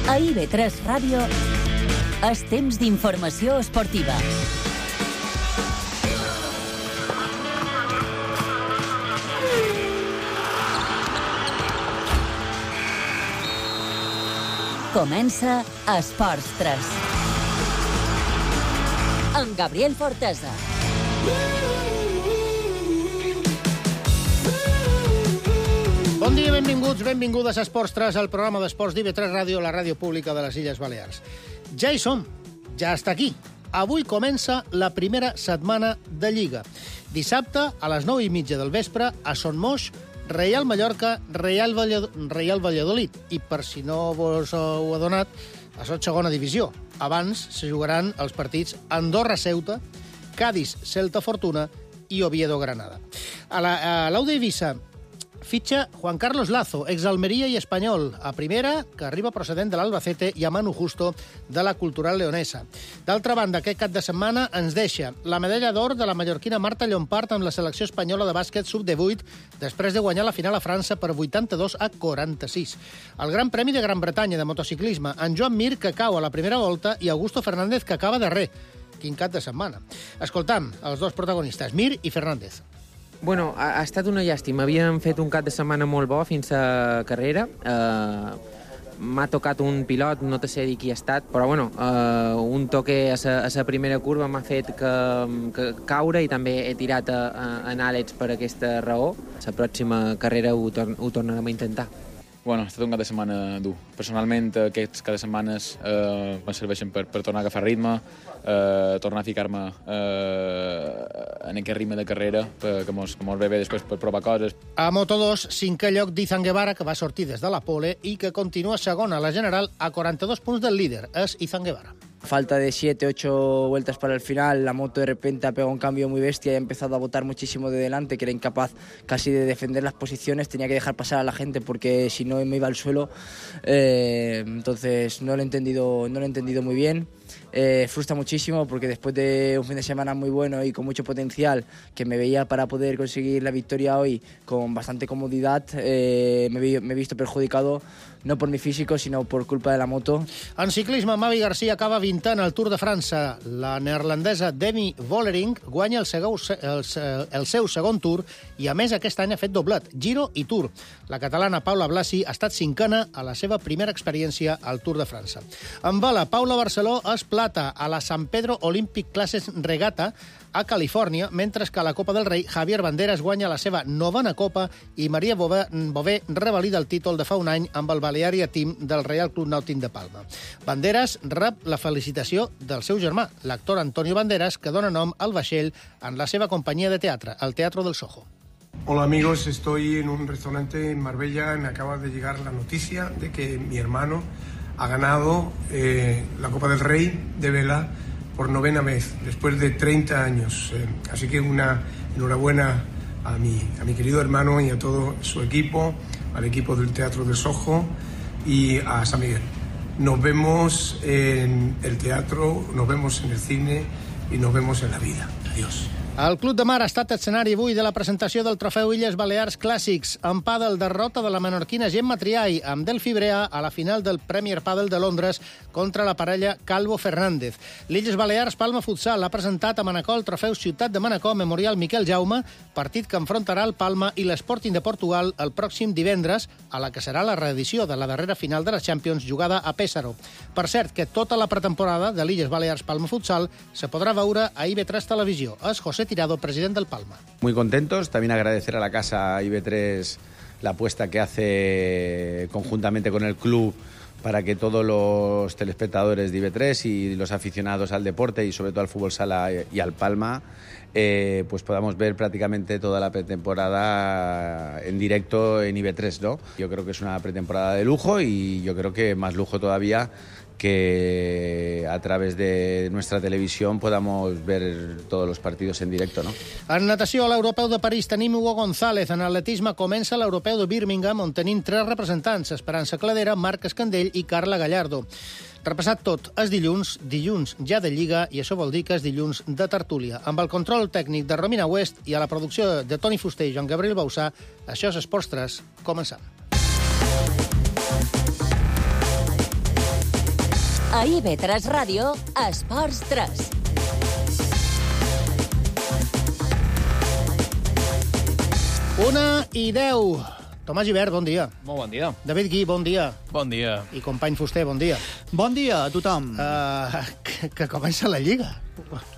A IB3 Ràdio és temps d'informació esportiva. Comença Esports 3. Amb Gabriel Fortesa. Bon dia, benvinguts, benvingudes a Esports 3, el programa d'esports d'IB3 Ràdio, la ràdio pública de les Illes Balears. Ja hi som, ja està aquí. Avui comença la primera setmana de Lliga. Dissabte, a les 9:30 del vespre, a Son Moix, Reial Mallorca, Reial Valladolid. I per si no vos ho ha donat, a la segona divisió. Abans se jugaran els partits Andorra-Ceuta, Cádiz-Celta Fortuna i Oviedo-Granada. A l'Auda Eivissa fitxa Juan Carlos Lazo, exalmeria i espanyol, a primera, que arriba procedent de l'Albacete, i a Manu Justo, de la Cultural Leonesa. D'altra banda, aquest cap de setmana ens deixa la medalla d'or de la mallorquina Marta Llompart amb la selecció espanyola de bàsquet sub-18, després de guanyar la final a França per 82-46. El Gran Premi de Gran Bretanya de motociclisme, en Joan Mir, que cau a la primera volta, i Augusto Fernández, que acaba darrer. Quin cap de setmana. Escoltam els dos protagonistes, Mir i Fernández. Bueno, ha estat una llàstima. Havíem fet un cap de setmana molt bo fins a carrera. M'ha tocat un pilot, no te sé dir qui ha estat, però bueno, un toque a la primera curva m'ha fet que caure i també he tirat en àlets per aquesta raó. La pròxima carrera ho tornarem a intentar. Bueno, ha estat un cap de setmana dur. Personalment, aquests cap de setmanes em serveixen per tornar a agafar ritme, tornar a ficar-me en aquest ritme de carrera, que mos ve bé després per provar coses. A Moto2, 5è lloc d'Izan Guevara, que va sortir des de la pole i que continua segona a la general a 42 punts del líder. És Izan Guevara. Falta de 7-8 vueltas para el final, la moto de repente ha pegado un cambio muy bestia y ha empezado a botar muchísimo de delante, que era incapaz casi de defender las posiciones, tenía que dejar pasar a la gente porque si no me iba al suelo, entonces no lo he entendido muy bien. Frustra muchísimo porque después de un fin de semana muy bueno y con mucho potencial, que me veía para poder conseguir la victoria hoy con bastante comodidad, me he visto perjudicado no por mi físico, sinó per culpa de la moto. En ciclisme, Mavi Garcia acaba 20 en el Tour de França. La neerlandesa Demi Vollering guanya el seu segon Tour i, a més, aquest any ha fet doblet, Giro i Tour. La catalana Paula Blasi ha estat cinquena a la seva primera experiència al Tour de França. En vela, Paula Barceló és plata a la San Pedro Olympic Classes Regata a Califòrnia, mentre que a la Copa del Rei Javier Banderas guanya la seva novena Copa i Maria Bové revalida el títol de fa un any amb el Balearia Team del Real Club Nàutic de Palma. Banderas rep la felicitació del seu germà, l'actor Antonio Banderas, que dona nom al vaixell en la seva companyia de teatre, el Teatro del Soho. Hola amigos, estoy en un restaurante en Marbella. Me acaba de llegar la noticia de que mi hermano ha ganado la Copa del Rey de vela por 9ª vez, después de 30 años. Así que una enhorabuena a mi querido hermano y a todo su equipo, al equipo del Teatro del Soho y a San Miguel. Nos vemos en el teatro, nos vemos en el cine y nos vemos en la vida. Adiós. El Club de Mar ha estat escenari avui de la presentació del trofeu Illes Balears Clàssics. En pàdel, derrota de la menorquina Gemma Triay amb Delphi Brea a la final del Premier Padel de Londres contra la parella Calvo Fernández. L'Illes Balears Palma Futsal ha presentat a Manacor el trofeu Ciutat de Manacor Memorial Miquel Jaume, partit que enfrontarà el Palma i l'Sporting de Portugal el pròxim divendres, a la que serà la reedició de la darrera final de la Champions jugada a Pésaro. Per cert, que tota la pretemporada de l'Illes Balears Palma Futsal se podrà veure a IB3 Televisió. És José Tirado, presidente del Palma. Muy contentos, también agradecer a la casa IB3 la apuesta que hace conjuntamente con el club para que todos los telespectadores de IB3 y los aficionados al deporte y sobre todo al fútbol sala y al Palma pues podamos ver prácticamente toda la pretemporada en directo en IB3, ¿no? Yo creo que es una pretemporada de lujo y yo creo que más lujo todavía que a través de nuestra televisión podamos ver todos los partidos en directo, ¿no? En natació, a l'Europeu de París tenim Hugo González. En atletisme comença l'Europeu de Birmingham, on tenim 3 representants, Esperança Cladera, Marc Escandell i Carla Gallardo. Repassat tot, és dilluns ja de Lliga, i això vol dir que és dilluns de tertúlia. Amb el control tècnic de Romina West i a la producció de Toni Fuster i Joan Gabriel Bausà, això és Esports 3, començam. A IB3 Ràdio, Esports 3. Una i 10. Tomàs Gibert, bon dia. Molt bon dia. David Gui, bon dia. Bon dia. I company Fuster, bon dia. Bon dia a tothom. Que comença la Lliga.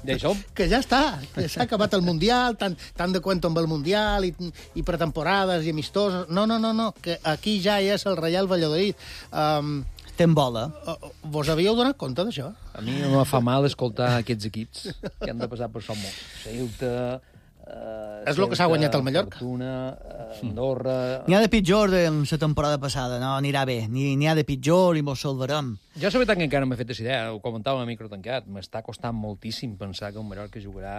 Ja hi som. Que ja està, que s'ha acabat el Mundial, tant de cuento amb el Mundial i pretemporades i amistosos. No, que aquí ja és el Real Valladolid. Estem bola. Vos havíeu donat compte d'això? A mi no em fa mal escoltar aquests equips que han de passar per som molt. Ceuta... És el que s'ha guanyat el Mallorca. Fortuna, Andorra... N'hi ha de pitjor de la temporada passada, no anirà bé. N'hi ha de pitjor i mos salvarem. Jo la veritat que encara no m'he fet aquesta idea, ho comentava a micro tancat. M'està costant moltíssim pensar que el Mallorca jugarà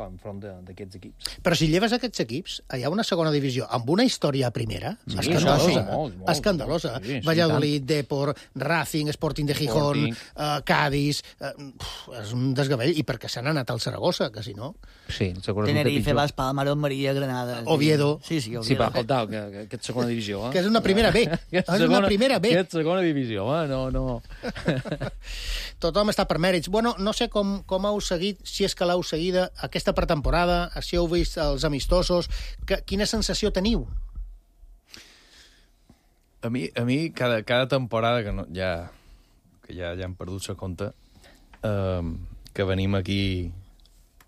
enfront d'aquests equips. Però si lleves aquests equips, hi ha una segona divisió amb una història a primera, Sí, escandalosa. sí, molt, Escandalosa. sí, Valladolid, Depor, Racing, Sporting de Gijón, Cádiz... és un desgavell. I perquè s'han anat al Saragossa, que si no... Sí, segurament Tenerife, Las Palmas, Maria, Granada... Oviedo. Sí, Oviedo. Sí, va, escolta, que és segona divisió, Que és una primera B. És una primera B. Que és segona divisió, no... Tothom està per mèrits. Bueno, no sé com heu seguit, si és que l'heu seguida, aquesta pretemporada, si heu vist els amistosos, quina sensació teniu? A mi cada temporada que ja hem perdut la compte, que venim aquí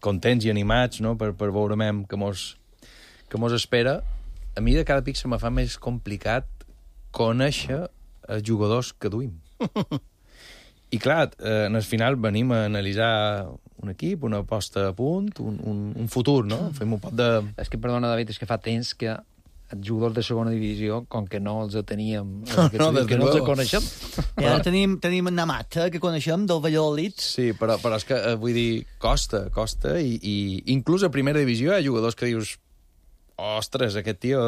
contents i animats, no?, per veure que mos espera, a mi de cada pic se me fa més complicat conèixer els jugadors que duim. I clar, en el final venim a analitzar un equip, una posta a punt, un futur, no? Fem un pot de... És que, perdona, David, és que fa temps que els jugadors de segona divisió, com que no els teníem, que no els coneixem. I ara tenim en Namat, que coneixem, del Valladolid. Sí, però és que, vull dir, costa, i inclús a primera divisió hi ha jugadors que dius ostres, aquest tio...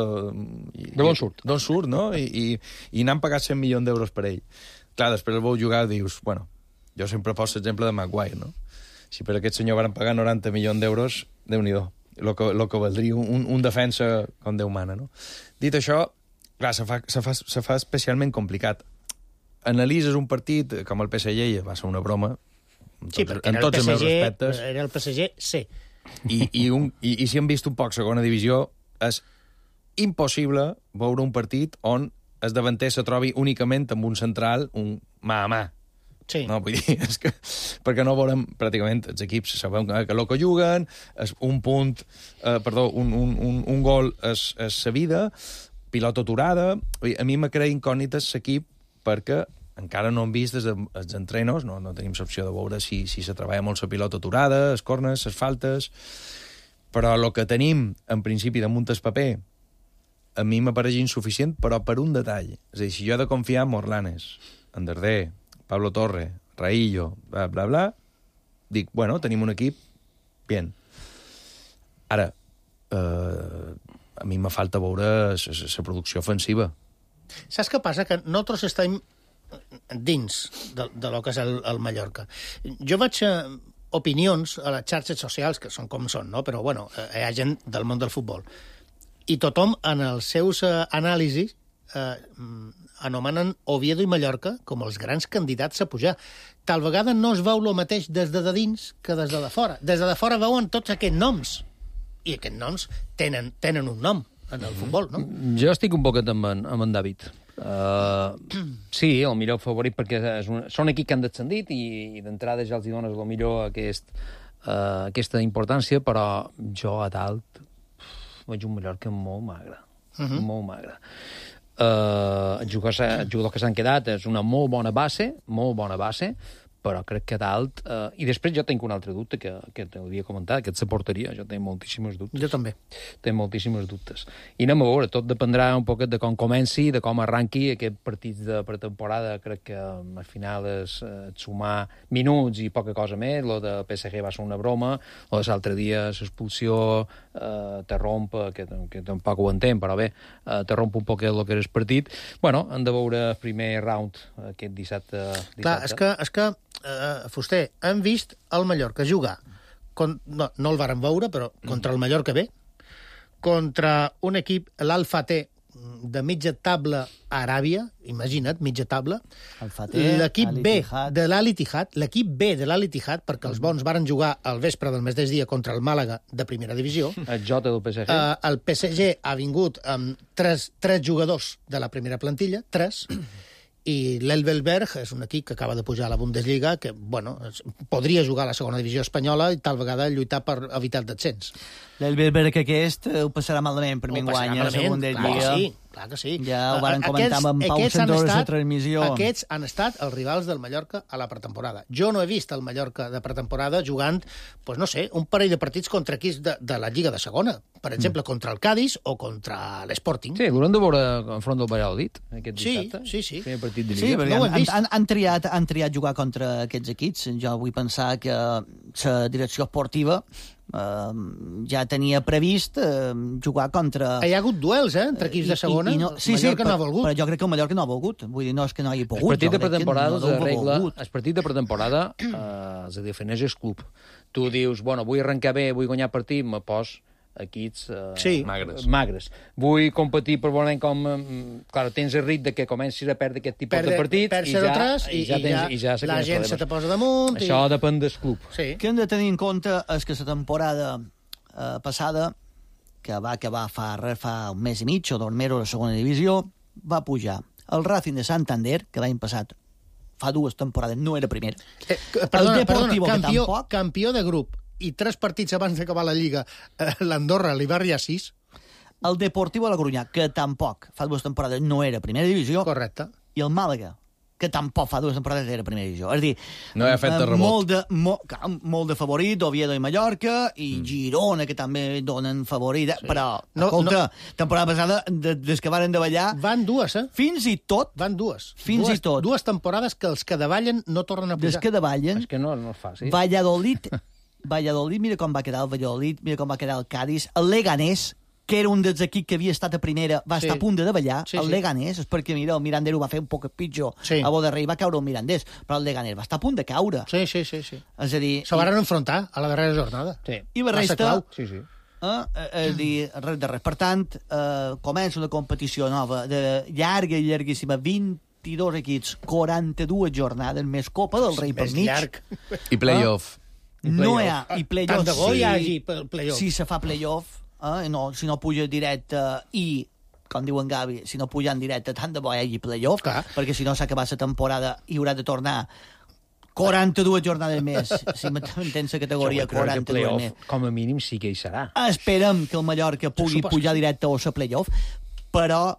D'on surt? D'on surt, no? I n'han pagat 100 milions d'euros per ell. Clar, després el veu jugar i dius, bueno, jo sempre poso l'exemple de Maguire, no? Si per aquest senyor van pagar 90 milions d'euros, Déu-n'hi-do, el que valdria un defensa com Déu mana, no? Dit això, clar, se fa especialment complicat. Analitzes un partit com el PSG, va ser una broma, en tots els meus respectes. Era el PSG C. I si hem vist un poc segona divisió, és impossible veure un partit on el davanter se trobi únicament amb un central, un mà a mà. Sí. No, vull dir, és que... Perquè no veurem, pràcticament, els equips sabem que el que juguen, és un punt, un gol és sa vida, pilota aturada... A mi me crea incògnites l'equip perquè encara no hem vist des dels entrenos, no tenim l'opció de veure si se treballa molt la pilota aturada, els corners, les faltes... Però el que tenim, en principi, damunt el paper, a mi m'apareix insuficient, però per un detall. És a dir, si jo he de confiar en Morlanes, en Darder, Pablo Torre, Raillo, bla, bla, bla, dic, bueno, tenim un equip, bien. Ara, a mi me falta veure la producció ofensiva. Saps què passa? Que nosaltres estem dins de lo que és el Mallorca. Jo vaig opinions a les xarxes socials, que són com són, no? Però, bueno, hi ha gent del món del futbol. I tothom, en els seus anàlisis, anomenen Oviedo i Mallorca com els grans candidats a pujar. Tal vegada no es veu el mateix des de dins que des de fora. Des de fora veuen tots aquests noms. I aquests noms tenen un nom en el futbol, no? Jo estic un poquet amb en David. Sí, el millor favorit perquè són equips que han descendit i d'entrada ja els hi dones el millor aquesta importància, però jo a dalt veig un Mallorca molt magre. Molt magre. Els jugadors que s'han quedat és una molt bona base, però crec que dalt... I després jo tinc un altre dubte que t'hauria comentat, que és la porteria. Jo tinc moltíssims dubtes. Jo també. Tinc moltíssims dubtes. I anem a veure, tot dependrà un poquet de com comenci, de com arranqui aquest partit de pretemporada. Crec que al final és sumar minuts i poca cosa més. Lo de PSG va ser una broma. O l'altre dia l'expulsió te romp, que tampoc ho entenc, però bé, te romp un poquet el que era el partit. Bueno, hem de veure el primer round aquest dissabte. Clar, és que Fuster, hem vist el Mallorca jugar, no el vàrem veure, però contra el Mallorca B, contra un equip, l'Alfa T, de mitja taula a Aràbia, imagina't, mitja taula, l'equip B de l'Al-Ittihad, perquè els bons varen jugar al vespre del mateix dia contra el Màlaga de primera divisió. El Jota del PSG. El PSG ha vingut amb tres jugadors de la primera plantilla, 3, i l'Elvelberg és un equip que acaba de pujar a la Bundesliga, que, bueno, podria jugar a la segona divisió espanyola i tal vegada lluitar per evitar el descens. L'Elvelberg aquest ho passarà malament per mi enguany a la segona Lliga. Clar que sí. Ja ho varen comentar amb Pau Santores de transmissió. Aquests han estat els rivals del Mallorca a la pretemporada. Jo no he vist el Mallorca de pretemporada jugant, pues no sé, un parell de partits contra equips de la Lliga de segona. Per exemple, contra el Cádiz o contra l'Sporting. Sí, l'haurem de veure enfront del Valladolid aquest dissabte. Sí. Primer partit de Sí, Lliga. perquè han triat jugar contra aquests equips. Jo vull pensar que la direcció esportiva ja tenia previst jugar contra... Hi ha hagut duels, entre equips de segona. Mallorca no ha volgut. Però jo crec que el Mallorca no ha volgut. Vull dir, no és que no hagi pogut. El partit de pretemporada es defineix el club. Tu dius, bueno, vull arrencar bé, vull guanyar partit, me pos equips magres. Vull competir per veure com... Clar, tens el rit de que comencis a perdre aquest tipus de partits i ja la gent se te posa damunt. Això depèn del club. Sí. El que hem de tenir en compte és que la temporada passada, que va acabar fa un mes i mig o 2 mesos a la segona divisió, va pujar el Racing de Santander, que l'any passat fa 2 temporades no era primer. Perdona, campió de grup, i 3 partits abans d'acabar la Lliga, l'Andorra li va arribar 6. El Deportivo de la Coruña, que tampoc fa 2 temporades no era primera divisió. Correcte. I el Màlaga, que tampoc fa 2 temporades era primera divisió. És a dir, no hi ha fet de rebot. Molt de favorit, Oviedo i Mallorca, i Girona, que també donen favorit. Sí. Però, escolta, temporada passada, des que varen davallar... Van 2, Fins i tot. Van 2. Fins i tot. 2 temporades que els que davallen no tornen a pujar. Des que davallen... És que no és fàcil. Valladolid, mira com va quedar el Valladolid, mira com va quedar el Cádiz, el Leganés, que era un dels equips que havia estat a primera, va estar a punt de davallar, el Leganés, és perquè, mira, el Mirandés ho va fer un poc pitjor, a Boderrey va caure el Mirandés, però el Leganés va estar a punt de caure. Sí. És a dir... Se van enfrontar a la darrera jornada. Sí. I la resta... Sí. És dir, res de res. Per tant, comença una competició nova, de llarga i llarguíssima, 22 equips, 42 jornades, més Copa del Rei per mig. Llarg. I playoff. No hi ha, i playoff. Tant de bo hi hagi playoff. Si se fa playoff, si no puja directe i, com diu en Gavi, si no puja en directe, tant de bo hi hagi playoff, perquè si no s'ha acabat la temporada i haurà de tornar 42 jornades més. Si m'entens la categoria, 42 més. Com a mínim sí que hi serà. Esperem que el Mallorca pugui pujar directe o a playoff, però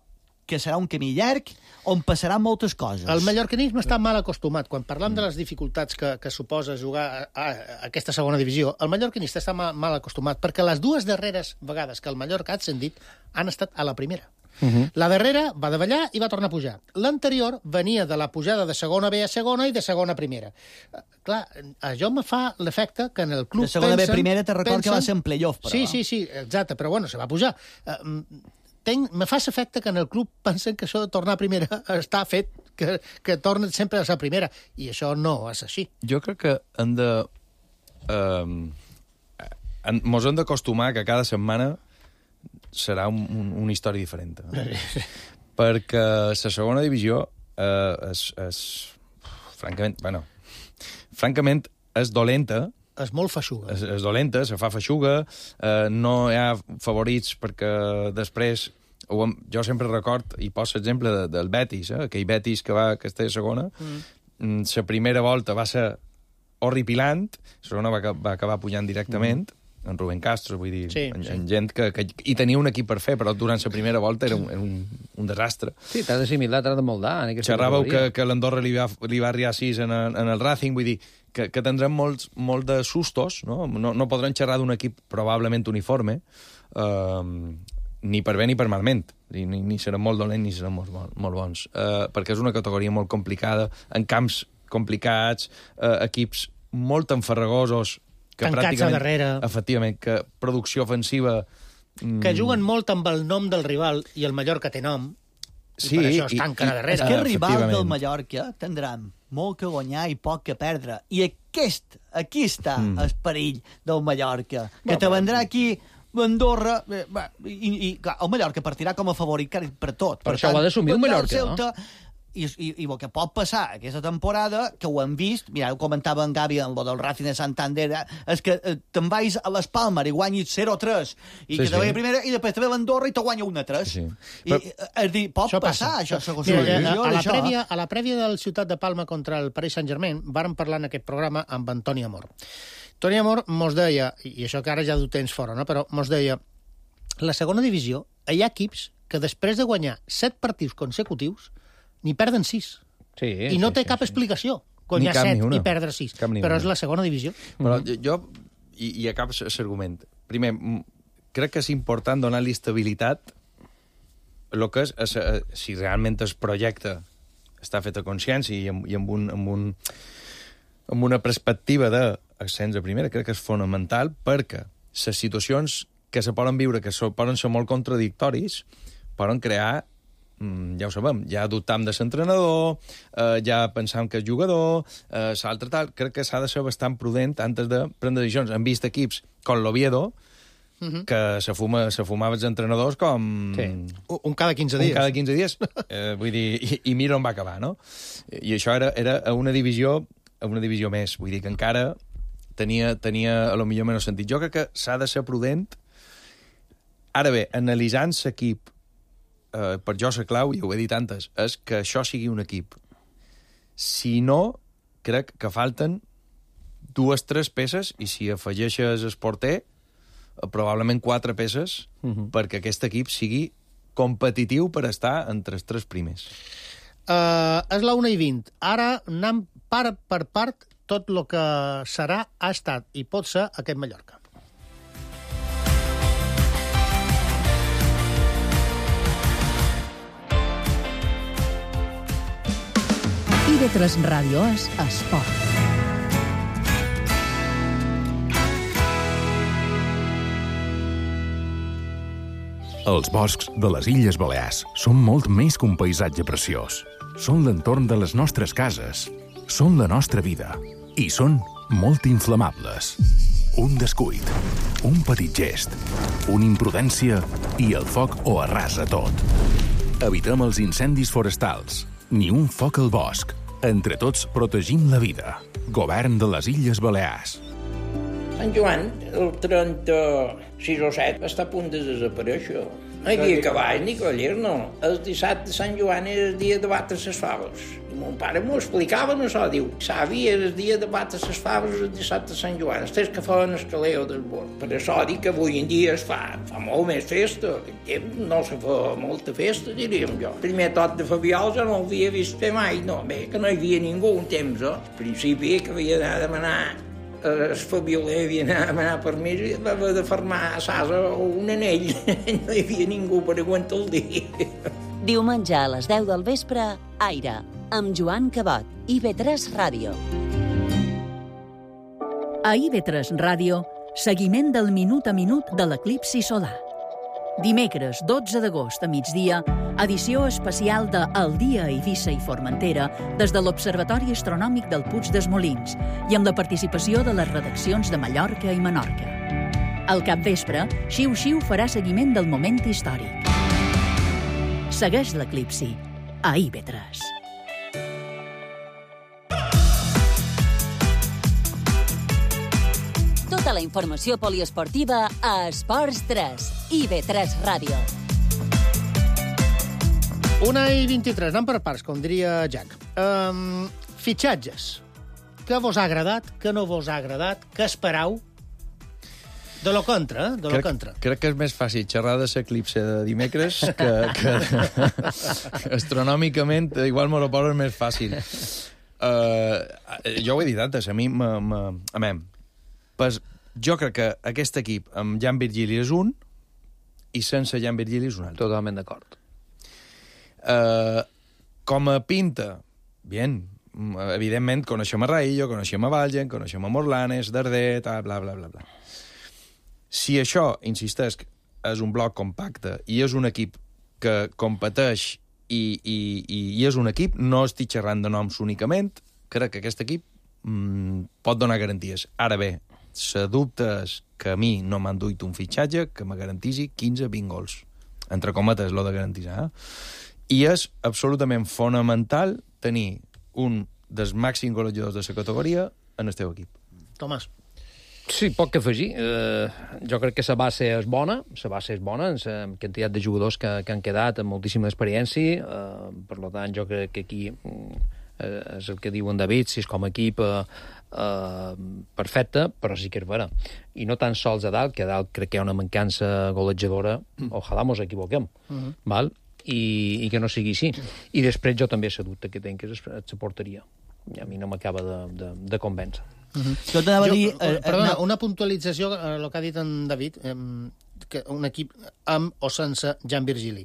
que serà un camí llarg on passaran moltes coses. El mallorcanisme està mal acostumat. Quan parlam de les dificultats que suposa jugar a aquesta segona divisió, el mallorcanista està mal acostumat, perquè les 2 darreres vegades que el Mallorca ha ascendit han estat a la primera. La darrera va davallar i va tornar a pujar. L'anterior venia de la pujada de segona B a segona i de segona a primera. Clar, això me fa l'efecte que en el club de segona B a primera te record que va ser en playoff, però... Sí, exacte, però bueno, se va pujar. Me fa l'efecte que en el club pensen que això de tornar a primera està fet, que tornen sempre a la primera, i això no és així. Jo crec que hem de... mos hem d'acostumar que cada setmana serà una història diferent. Perquè la segona divisió francament és dolenta. És molt feixuga. És dolenta, se fa feixuga, no hi ha favorits perquè després... Jo sempre record, i poso l'exemple del Betis, aquell Betis que està a segona, la primera volta va ser horripilant, la segona va acabar pujant directament, en Rubén Castro, vull dir, en gent que hi tenia un equip per fer, però durant la primera volta era un desastre. Sí, t'has d'assimilar, t'has de moldar. Xerràveu que l'Andorra li va arribar 6 en el Racing, vull dir, que tindrem molt de sustos, no podrem xerrar d'un equip probablement uniforme, ni per bé ni per malment, ni seran molt dolents ni seran molt bons, perquè és una categoria molt complicada, en camps complicats, equips molt enfarragosos, que tancats a darrere. Efectivament, que producció ofensiva... Que juguen molt amb el nom del rival, i el Mallorca té nom, i per això es tanquen a darrere. És que el rival del Mallorca tindrà molt que guanyar i poc que perdre, i aquí està el perill del Mallorca, que te vendrà aquí Andorra, i clar, el Mallorca partirà com a favorit per tot. Per això ho ha d'assumir el Mallorca, no? I el que pot passar aquesta temporada, que ho hem vist, mira, ho comentava en Gavi en lo del Racing de Santander, és que te'n vais a les Palmes i guanyis 0-3, i que te vaya primera, i després te ve l'Andorra i te guanya 1-3. És dir, pot passar, això, segons a la prèvia del Ciutat de Palma contra el Paris Saint-Germain, vàrem parlar en aquest programa amb Antoni Amor. Toni Amor mos deia, i això que ara ja du temps fora, no? Però mos deia, la segona divisió, hi ha equips que després de guanyar 7 partits consecutius n'hi perden 6. I no té cap explicació guanyar 7 i perdre 6. Però és la segona divisió. Però jo, i acabo l'argument. Primer, crec que és important donar-li estabilitat el que és, si realment el projecte està fet a consciència i amb una perspectiva d'ascens a primera, crec que és fonamental perquè les situacions que se poden viure, que poden ser molt contradictoris, poden crear, ja ho sabem, ja dubtam de l'entrenador, ja pensam que és jugador, l'altre tal. Crec que s'ha de ser bastant prudent antes de prendre decisions. Hem vist equips com l'Oviedo, que se fumava els entrenadors com... Un cada 15 dies. Un cada 15 dies. Vull dir, i mira on va acabar, no? I això era una divisió més. Vull dir que encara tenia a lo millor menys sentit. Jo crec que s'ha de ser prudent. Ara bé, analitzant l'equip, per jo la clau, i ho he dit antes, és que això sigui un equip. Si no, crec que falten 2-3 peces, i si afegeixes el porter, probablement 4 peces, perquè aquest equip sigui competitiu per estar entre els 3 primers. És la 1:20. Ara anem part per part tot el que serà, ha estat i pot ser aquest Mallorca. IB3 Ràdio és esport. Els boscs de les Illes Balears són molt més que un paisatge preciós. Són l'entorn de les nostres cases, són la nostra vida i són molt inflamables. Un descuit, un petit gest, una imprudència i el foc ho arrasa tot. Evitem els incendis forestals, ni un foc al bosc. Entre tots protegim la vida. Govern de les Illes Balears. Sant Joan, el 36 o 7, està a punt de desaparèixer. No hi havia cavalls ni cavallers, no. El dissabte de Sant Joan era el dia de batre les faves. I mon pare m'ho explicava, això, diu, savi, era el dia de batre les faves el dissabte de Sant Joan, els que feien el caleo del bord. Per això dic que avui en dia es fa molt més festa. No se fa molta festa, diríem jo. El primer tot de Fabiol jo no l'havia vist fer mai, no. Bé, que no hi havia ningú un temps, Al principi que havia d'anar a demanar el Fabioler havia d'anar a demanar permís i va haver de fermar a Sasa un anell. No hi havia ningú per aguantar el dia. Diumenge a les 10 del vespre, Aire, amb Joan Cabot, IB3 Ràdio. A IB3 Ràdio, seguiment del minut a minut de l'eclipsi solar. Dimecres 12 d'agost a migdia, edició especial de El dia a Eivissa i Formentera des de l'Observatori Astronòmic del Puig dels Molins i amb la participació de les redaccions de Mallorca i Menorca. Al capvespre, Xiu Xiu farà seguiment del moment històric. Segueix l'eclipsi a IB3. Tota la informació poliesportiva a Esports 3, IB3 Ràdio. 1:23, anem per parts, com diria Jack. Fitxatges. Què vos ha agradat, què no vos ha agradat, què esperau? De lo contra, de lo contra. Crec que és més fàcil xerrar de l'eclipse de dimecres que astronòmicament igual m'ho poso més fàcil. Jo ho he dit antes, a mi jo crec que aquest equip amb Jan Virgili és un i sense Jan Virgili és un altre. Totalment d'acord. Com a pinta, bien, evidentment coneixem a Raillo, coneixem a Valgen, coneixem a Morlanes, Darder, bla, bla, bla, bla. Si això, insisteix, és un bloc compacte i és un equip que competeix i és un equip, no estic xerrant de noms únicament, crec que aquest equip pot donar garanties. Ara bé, la dubte és que a mi no m'han duit un fitxatge que me garantisi 15-20 gols. Entre cometes, lo de garantitzar. I és absolutament fonamental tenir un dels màxims golejadors de la categoria en el teu equip. Tomàs. Sí, poc que afegir. Jo crec que la base és bona, en la quantitat de jugadors que han quedat amb moltíssima experiència, per tant, jo crec que aquí és el que diu en David, si és com a equip perfecte, però sí que és vera. I no tan sols a dalt, que a dalt crec que hi ha una mancança golejadora, ojalà mos equivoquem, val? I que no sigui així. I després jo també la dubte que tenc és la porteria. I a mi no m'acaba de convèncer. Jo t'anava a dir... Perdona, una puntualització a el que ha dit en David, que un equip amb o sense Jan Virgili.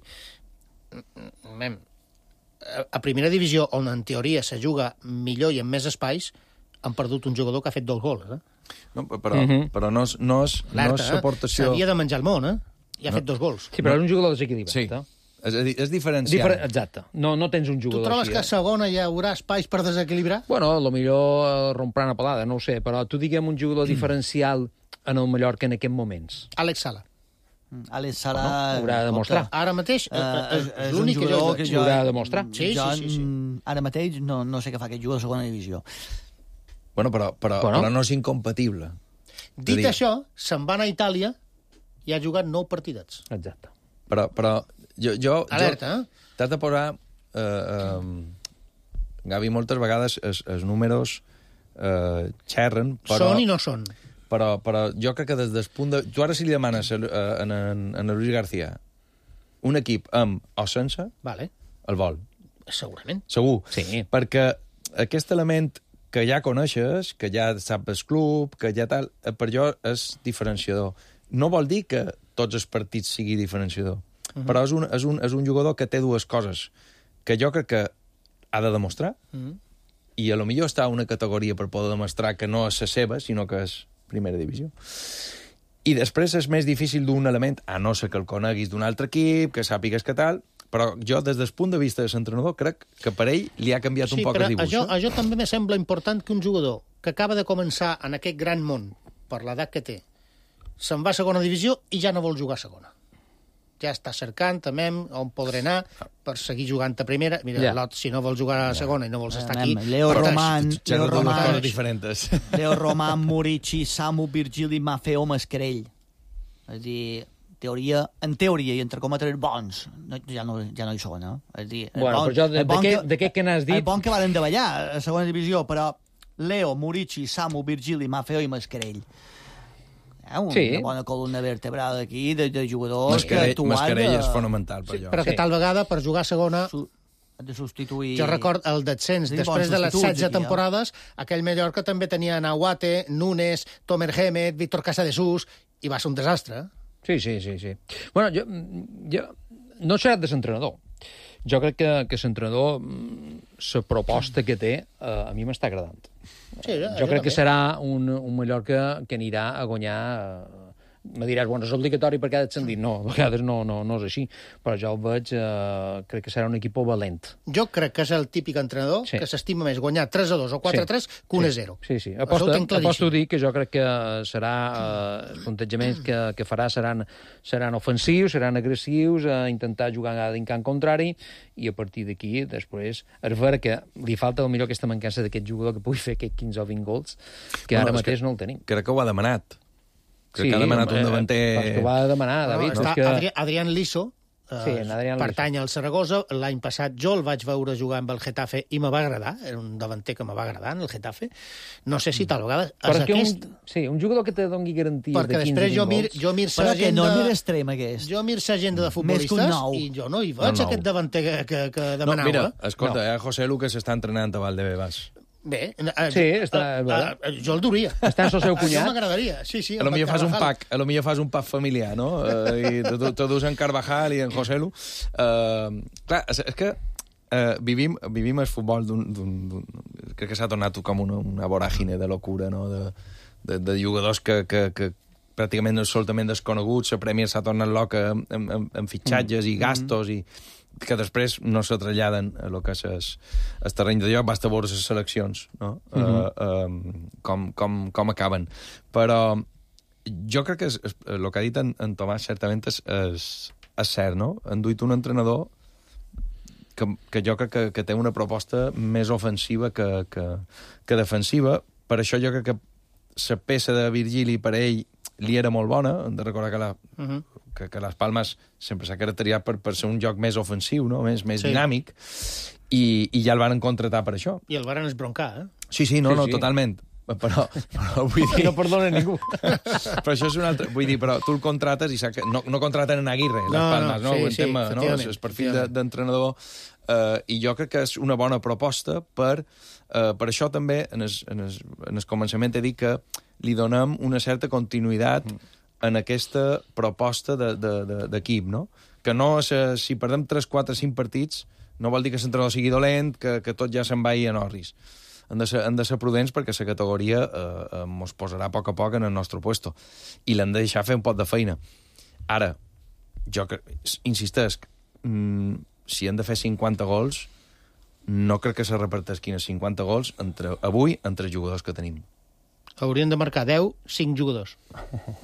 A primera divisió, on en teoria se juga millor i amb més espais, han perdut un jugador que ha fet 2 gols. No, però no és l'aportació... S'havia de menjar el món, i ha fet 2 gols. Sí, però és un jugador desequilibrat. Sí. És diferencial. Exacte. No tens un jugador Tu trobes així, que a segona hi haurà espais per desequilibrar? Bueno, potser rompran a pelada, no ho sé, però tu diguem un jugador diferencial en el Mallorca en aquests moments. Àlex Sala. Àlex Sala... Haurà de demostrar. Ara mateix és l'únic que jo... Haurà de demostrar. Sí. Ara mateix no sé què fa aquest jugador de segona divisió. Bueno, però no és incompatible. Dit això, se'n van a Itàlia i ha jugat 9 partidets. Exacte. Però alerta, t'has de posar... Gavi, moltes vegades els números xerren, però... Són i no són. Però jo crec que des del punt de... Tu ara si li demanes a Luis García un equip amb o sense, el vol. Segurament. Segur. Sí. Perquè aquest element que ja coneixes, que ja saps el club, que ja tal, per jo és diferenciador. No vol dir que tots els partits sigui diferenciador, però és un jugador que té 2 coses que jo crec que ha de demostrar i a lo millor està a una categoria per poder demostrar que no és la seva, sinó que és primera divisió. I després és més difícil d'un element, a no ser que el coneguis d'un altre equip, que sàpigues que tal, però jo, des del punt de vista de l'entrenador, crec que per ell li ha canviat un poc el dibuix. Sí, però això també me sembla important que un jugador que acaba de començar en aquest gran món, per l'edat que té, se'n va a segona divisió i ja no vol jugar a segona. Ja està cercant també on podrà anar per seguir jugant a primera. Mira, Lot, si no vols jugar a segona i no vols estar aquí... Leo Roman, Murici, Samu, Virgili, Maffeo, Mascarell. És a dir, en teoria i entre cometres bons, ja no hi són, És a dir, bueno, però jo, d'aquest que n'has dit... El bon que varen davallar a segona divisió, però Leo, Murici, Samu, Virgili, Maffeo i Mascarell. Una bona columna vertebral aquí de jugadors que actuen... Mascarell és fonamental per allò. Però que tal vegada, per jugar a segona... de substituir... Jo record el descens, després de les 16 temporades, aquell Mallorca també tenia Nahuate, Núñez, Tomer Gémez, Víctor Casadesús, i va ser un desastre. Sí. Bueno, jo no serà de l'entrenador. Jo crec que l'entrenador, la proposta que té, a mi m'està agradant. Sí, jo crec que serà un Mallorca que anirà a guanyar... Me diràs, bueno, és obligatori perquè ha descendit. No, a vegades no és així. Però jo el veig, crec que serà un equip valent. Jo crec que és el típic entrenador que s'estima més guanyar 3-2 o 4-3 que 1-0. Sí. Aposto a dir que jo crec que serà... els plantejaments que farà seran ofensius, seran agressius, a intentar jugar en camp contrari, i a partir d'aquí, després, és vera que li falta potser aquesta mancança d'aquest jugador que pugui fer aquests 15 o 20 gols, que ara mateix no el tenim. Crec que ho ha demanat. Crec que ha demanat un davanter... Perquè ho va demanar, David. Adrián Liso, pertany al Saragossa. L'any passat jo el vaig veure jugar amb el Getafe i me va agradar. Era un davanter que me va agradar, en el Getafe. No sé si tal vegada... Un jugador que te doni garanties de 15 gols. Perquè després jo mir sa agenda... No és extrem, aquest. Jo mir sa agenda de futbolistes i jo no hi veig aquest davanter que demanava. No, mira, escolta, José Lu que s'està entrenant a Valdebebas. Bé, jo el duria. Està el seu cunyat. Això m'agradaria, sí. A lo millor fas un pack familiar, no? I te dus en Carvajal i en José Lu. Clar, és que vivim el futbol crec que s'ha tornat com una voràgine de locura, no? De jugadors que pràcticament absolutament desconeguts, la Premier s'ha tornat loca amb fitxatges i gastos i que després no se traslladen a lo que és el terreny de joc, basta veure les seleccions, no? Com acaben. Però jo crec que el que ha dit en Tomàs certament és cert, no? Han duit un entrenador que jo crec que té una proposta més ofensiva que defensiva. Per això jo crec que la peça de Virgili per ell li era molt bona. Hem de recordar que les Palmes sempre s'ha caracteritzat per ser un joc més ofensiu, no? més dinàmic, i ja el van contratar per això. I el van esbroncar, eh? Sí, totalment. Però vull dir... No perdona ningú. Però això és un altre... Vull dir, però tu el contrates i no contraten en Aguirre, les Palmes, no? El perfil d'entrenador. I jo crec que és una bona proposta per això també, en el començament he dit que li donem una certa continuïtat en aquesta proposta d'equip, no? Que no, si perdem 3, 4, 5 partits, no vol dir que l'entrenador sigui dolent, que tot ja se'n vagi a Norris. Han de ser prudents perquè la categoria ens posarà a poc en el nostre puesto. I l'hem de deixar fer un pot de feina. Ara, jo insistesc, si hem de fer 50 gols, no crec que se reparteixin 50 gols avui entre els jugadors que tenim. Haurien de marcar 10, 5 jugadors.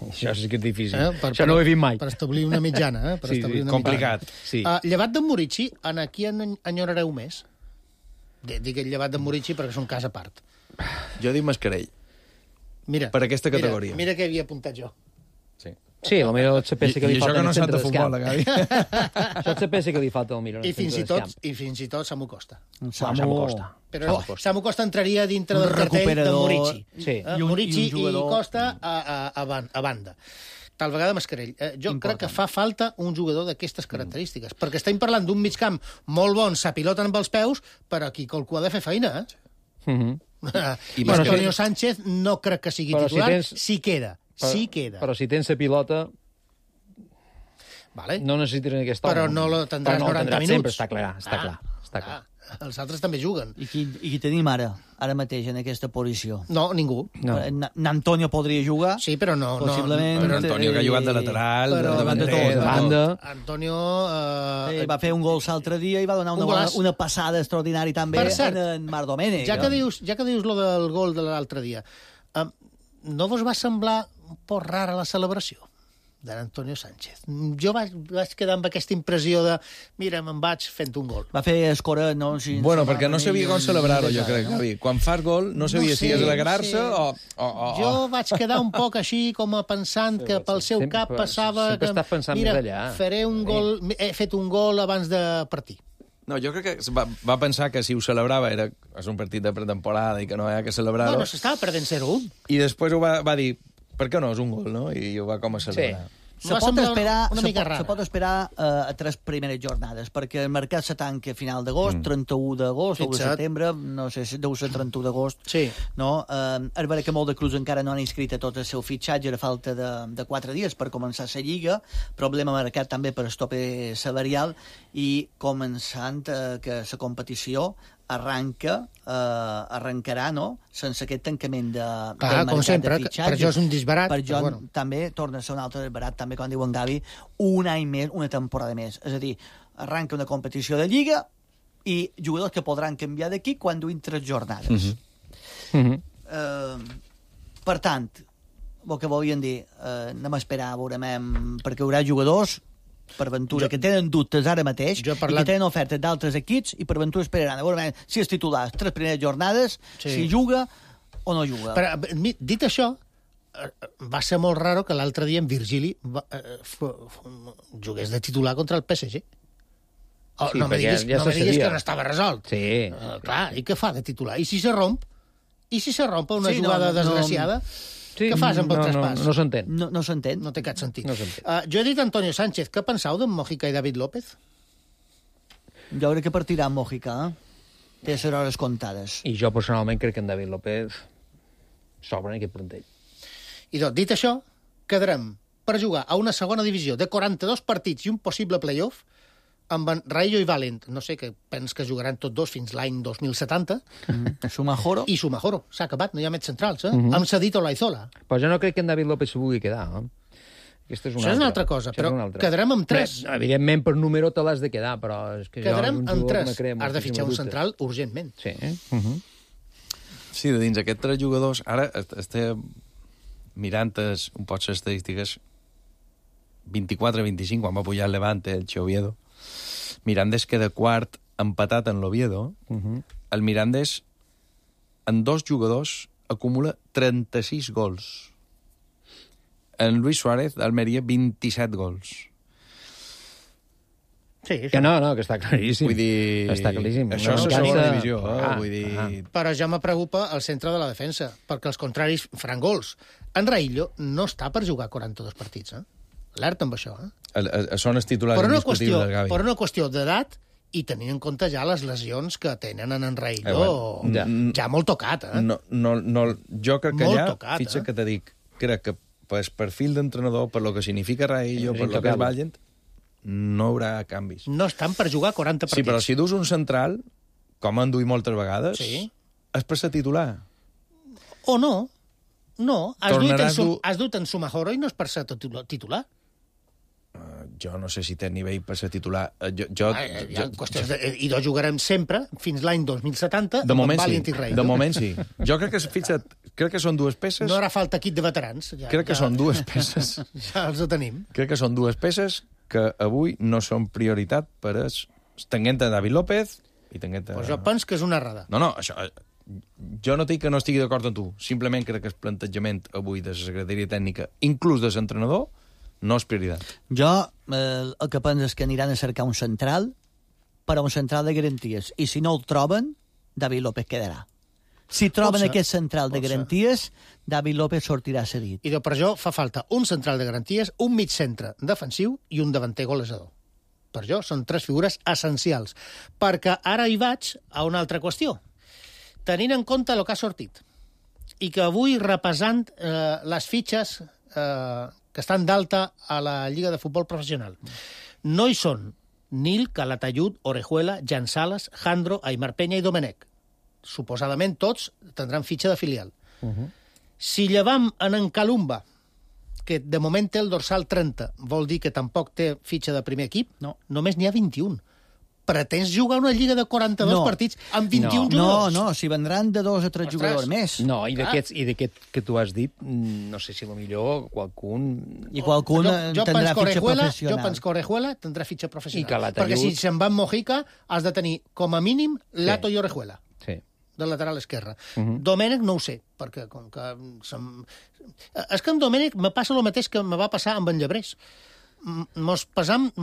Això sí que és difícil. Això no ho he vist mai. Per establir una mitjana. Complicat. Sí. Llevat d'en Murici, en aquí enyorareu més? Dic el llevat d'en Murici perquè és un cas a part. Jo dic Mascarell. Mira, per aquesta categoria. Mira què havia apuntat jo. Sí, potser pensa que li falta en el centre d'escamp. Gavi. Això se pensa que li falta millor en el centre d'escamp. I fins i tot Samu Costa. Samu Costa. Però Samu Costa entraria dintre del cartell de Murici. Sí. Murici i Costa a banda. Tal vegada Mascarell. Jo crec que fa falta un jugador d'aquestes característiques, perquè estem parlant d'un migcamp molt bon, s'apiloten amb els peus, però aquí qualcú ha de fer feina, I Antonio Sánchez no crec que sigui titular, si queda. Però si tens la pilota, no necessites aquest home. Però no lo tindràs 90 minuts. Sempre, està clar. Els altres també juguen. I qui tenim ara mateix en aquesta posició? No, ningú. Antonio podria jugar. Sí, però no. Possiblement. Però Antonio que ha jugat de lateral, de banda. Antonio... va fer un gol l'altre dia i va donar una passada extraordinària també en Marc Domènech. Ja que dius lo del gol de l'altre dia, no vos va semblar un poc rara la celebració d'Antonio Sánchez? Jo vaig quedar amb aquesta impressió de mira, me'n vaig fent un gol. Va fer escora, no? Bueno, perquè no sabia com celebrar-ho, jo crec, Gavi. Quan fas gol, no sabia si és alegrar-se o... Jo vaig quedar un poc així, com a pensant que pel seu cap passava que... Mira, faré un gol... He fet un gol abans de partir. No, jo crec que va pensar que si ho celebrava és un partit de pretemporada i que no hi ha que celebrar-ho. No, s'estava perdent 0-1. I després ho va dir, per què no és un gol, no? I ho va com a celebrar. Se pot esperar a 3 primeres jornades, perquè el mercat se tanca a final d'agost, 31 d'agost o de setembre, no sé si deu ser 31 d'agost. Sí. No? És vera que molt de clubs encara no han inscrit a tot el seu fitxatge a falta de 4 dies per començar la Lliga, problema marcat també per el tope salarial, i començant que la competició arrencarà, no?, sense aquest tancament del mercat de fitxatge. Per això és un disbarat. Per això també torna a ser un altre disbarat, també, com diu en Gavi, un any més, una temporada més. És a dir, arranca una competició de Lliga i jugadors que podran canviar d'aquí quan duin 3 jornades. Per tant, el que volien dir, anem a esperar, veurem, perquè hi haurà jugadors per Ventura, que tenen dubtes ara mateix i que tenen ofertes d'altres equips, i per Ventura esperaran a veure si és titular 3 primeres jornades, si juga o no juga. Però, dit això, va ser molt raro que l'altre dia en Virgili jugués de titular contra el PSG. No me diguis que no estava resolt. Sí. Clar, i què fa de titular? I si se romp? I si se romp una jugada desgraciada? Què fas amb el traspàs? No s'entén. No s'entén. No té cap sentit. Jo he dit Antonio Sánchez. Què penseu d'en Mojica i David López? Jo crec que partirà en Mojica. Té les hores comptades. I jo personalment crec que en David López s'obre en aquest plantell. I doncs, dit això, quedarem per jugar a una segona divisió de 42 partits i un possible playoff amb en Raillo i Valent. No sé, que pens que jugaran tots dos fins l'any 2070. Sumajoro. I Sumajoro. S'ha acabat, no hi ha més centrals, Hem cedit Olaizola. Però jo no crec que en David López s'ho vulgui quedar, Aquesta és Això és una altra cosa, però quedarem amb 3. Evidentment, per número te l'has de quedar, però és que quedarem amb 3. Has de fitxar un central urgentment. Sí. Sí, de dins aquests 3 jugadors, ara estem mirant un poc les estadístiques 24-25, quan va pujar el Levante, el Oviedo. Mirandés queda quart, empatat en l'Oviedo. El Mirandés, en 2 jugadors, acumula 36 gols. En Luis Suárez, d'Almeria, 27 gols. Sí, que no, que està claríssim. Vull dir... Està claríssim. Això és la segona divisió, vull dir... Però ja me preocupa el centre de la defensa, perquè els contraris faran gols. En Raillo no està per jugar 42 partits, Alerta amb això, Són els titulars indiscutibles, Gavi. Per una qüestió d'edat i tenint en compte ja les lesions que tenen en Raillo, ja molt tocat, jo crec que allà, fixa que te dic, crec que per perfil d'entrenador, per lo que significa Raillo, per lo que és Valent, no hi haurà canvis. No estan per jugar 40 partits. Sí, però si dus un central, com han duit moltes vegades, és per ser titular. O no. No, has dut en Sumajoro i no és per ser titular. Jo no sé si té nivell per ser titular. I dos jugarem sempre, fins l'any 2070, de moment Valent i Raillo. De moment sí. Jo crec que són 2 peces... No harà falta equip de veterans. Crec que són 2 peces... Ja els ho tenim. Crec que són 2 peces que avui no són prioritat per tenint a David López i tenint a... Pues jo penso que és una errada. No, això... Jo no dic que no estigui d'acord amb tu. Simplement crec que el plantejament avui de la secretaria tècnica, inclús de l'entrenador, no és prioritat. Jo el que penso és que aniran a cercar un central, però un central de garanties. I si no el troben, David López quedarà. Si troben aquest central de garanties, David López sortirà cedit. I per això fa falta un central de garanties, un mig centre defensiu i un davanter golejador. Per això són 3 figures essencials. Perquè ara hi vaig a una altra qüestió. Tenint en compte el que ha sortit i que avui, repassant les fitxes que estan d'alta a la Lliga de Futbol Professional, no hi són Nil, Calatayud, Orejuela, Jan Sales, Jandro, Aimar Peña i Domenech. Suposadament tots tindran fitxa de filial. Si llevam en Calumba, que de moment té el dorsal 30, vol dir que tampoc té fitxa de primer equip, només n'hi ha 21. Pretens jugar una lliga de 42 partits amb 21 jugadors? No, si vendran de 2 a 3 jugadors més. No, i d'aquest que tu has dit, no sé si potser qualcun... I qualcun tindrà fitxa professional. Jo penso que Orejuela tindrà fitxa professional. I Calatayud... Perquè si se'n va amb Mojica, has de tenir com a mínim Lato i Orejuela. Sí. De lateral esquerre. Domènech no ho sé, perquè com que... És que amb Domènech me passa el mateix que me va passar amb en Llebrés. Mos passam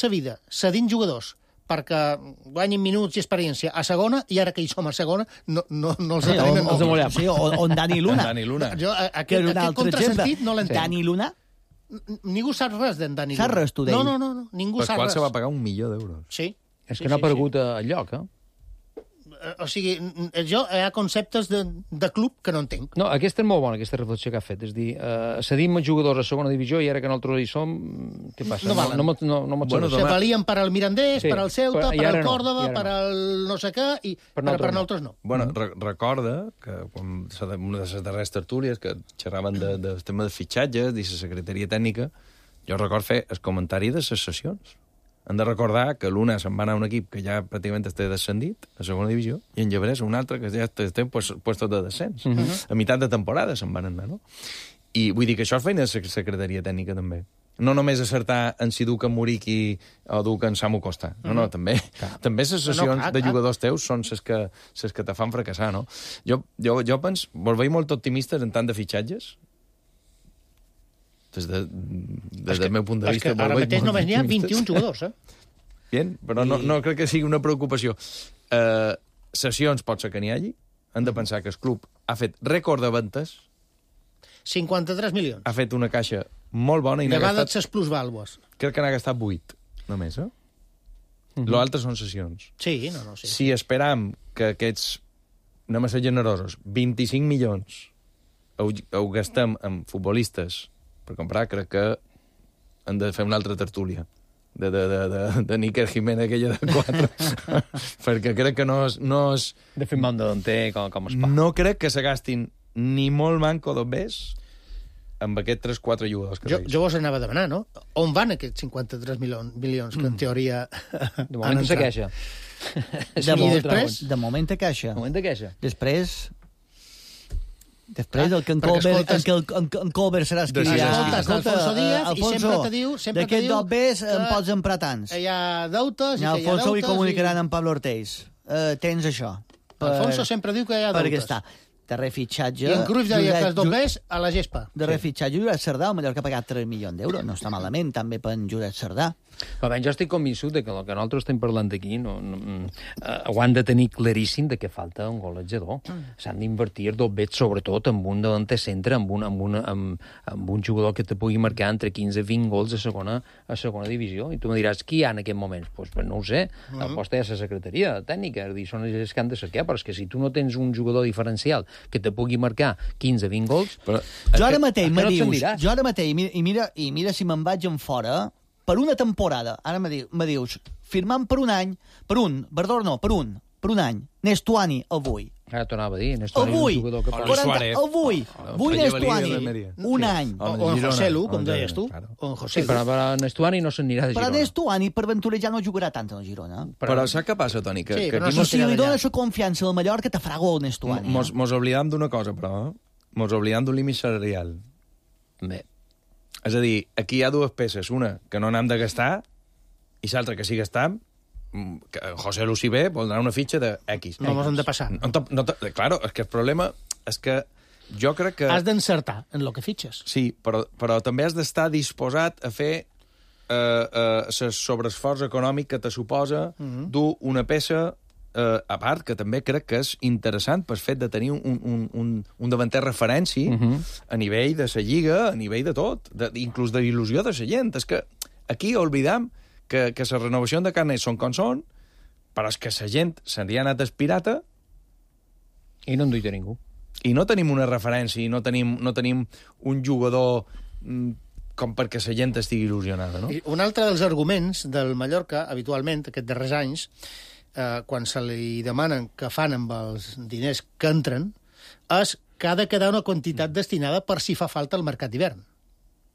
sa vida cedint jugadors perquè guanyin minuts i experiència a segona, i ara que hi som a segona, no els tenim en compte. Sí, o en Dani Luna. Jo, aquest contrasentit no l'entenc. Dani Luna? Ningú sap res d'en Dani Luna. Saps res tu d'ell? No, ningú sap res. Per qual se va pagar $1 milió. Sí. És que no ha aparegut al lloc, O sigui, jo hi ha conceptes de club que no entenc. No, aquesta és molt bona, aquesta reflexió que ha fet. És dir, cedim jugadors a segona divisió i ara que nosaltres hi som, què passa? No valen. No Se valien per al Mirandés, per al Ceuta, per al Córdoba, per al no sé què, i per nosaltres no. Bueno, recorda que quan una de les darreres tertúlies que xerraven del tema de fitxatges i la secretaria tècnica, jo recordo fer el comentari de les sessions. Han de recordar que l'una se'n va anar a un equip que ja pràcticament està descendit, a segona divisió, i en Llebrés un altre que ja està en puestos de descens. A meitat de temporada se'n van anar, no? I vull dir que això és feina de la secretaria tècnica, també. No només acertar en si duc en Muriqui o duc en Samu Costa. No, també les sessions de jugadors teus són les que te fan fracassar, no? Jo penso, vos veig molt optimistes en tant de fitxatges? Des del meu punt de vista... Ara mateix només n'hi ha 21 jugadors, Bien, però no crec que sigui una preocupació. Sessions pot ser que n'hi hagi. Han de pensar que el club ha fet rècord de ventes. 53 milions. Ha fet una caixa molt bona i n'ha gastat... Llevades les plusvàlues. Crec que n'ha gastat 8, només, L'altre són sessions. Sí, no. Sí. Si esperam que aquests, anem a ser generosos, 25 milions ho gastem en futbolistes per comprar, crec que hem de fer una altra tertúlia de Níker Jiménez, aquella de 4 perquè crec que no és... De fer un davanter com es fa. No crec que se gastin ni molt manco d'obès amb aquests 3-4 jugadors que Jo vos anava a demanar, no? On van aquests 53 milions que en teoria de moment se queixa. De moment te queixa. Després el que en Colbert serà qui dirà... Escolta, Alfonso Díaz, i sempre te diu... D'aquest dos Bs en pots emprar tants. Hi ha deutes... Alfonso li comunicaran amb Pablo Ortiz. Tens això. Alfonso sempre diu que hi ha deutes. Perquè està de refitxatge... I en Cruyff deia que els doblers a la gespa. De refitxatge Jurat Cerdà, el Mallorca ha pagat 3 milions d'euros. No està malament, també per en Jurat Cerdà. Però jo estic convençut que el que nosaltres estem parlant aquí ho han de tenir claríssim de que falta un golejador. S'han d'invertir dobbets, sobretot, amb un delanter centre, amb un jugador que te pugui marcar entre 15 i 20 gols a segona divisió. I tu me diràs, qui hi ha en aquest moment? Pues no ho sé. El post és la secretaria tècnica. Són els que han de saquear, però és que si tu no tens un jugador diferencial que te pugui marcar 15-20 gols... Jo ara mateix i mira si me'n vaig en fora... Per una temporada, ara me dius, firmant per un any, per un any, Nestuani, avui. Ara t'ho anava a dir, Nestuani és un jugador que... Avui Nestuani, un any. O en Joselu, com deies tu. Sí, però Nestuani no s'anirà de Girona. Però Nestuani, per ventura, ja no jugarà tant a la Girona. Però saps què passa, Toni? Si li dona la confiança al Mallorca, te farà gol Nestuani. Mos oblidam d'una cosa, però. Mos oblidam d'un límit salarial. Bé. És a dir, aquí hi ha dues peces. Una, que no n'hem de gastar, i l'altra, que sí gastam, que José Lucy B vol donar una fitxa de X. No mos hem de passar. Claro, és que el problema és que jo crec que... Has d'encertar en el que fitxes. Sí, però també has d'estar disposat a fer sobreesforç econòmic que te suposa dur una peça a part, que també crec que és interessant pel fet de tenir un davanter referència a nivell de la lliga, a nivell de tot, inclús de il·lusió de la gent. És que aquí oblidam que la renovació de carnets són com són, però és que la gent se li ha anat espirata i no en duita ningú. I no tenim una referència, i no tenim un jugador com perquè la gent estigui il·lusionada, no? I un altre dels arguments del Mallorca, habitualment, aquests darrers anys, quan se li demanen què fan amb els diners que entren, és que ha de quedar una quantitat destinada per si fa falta el mercat d'hivern.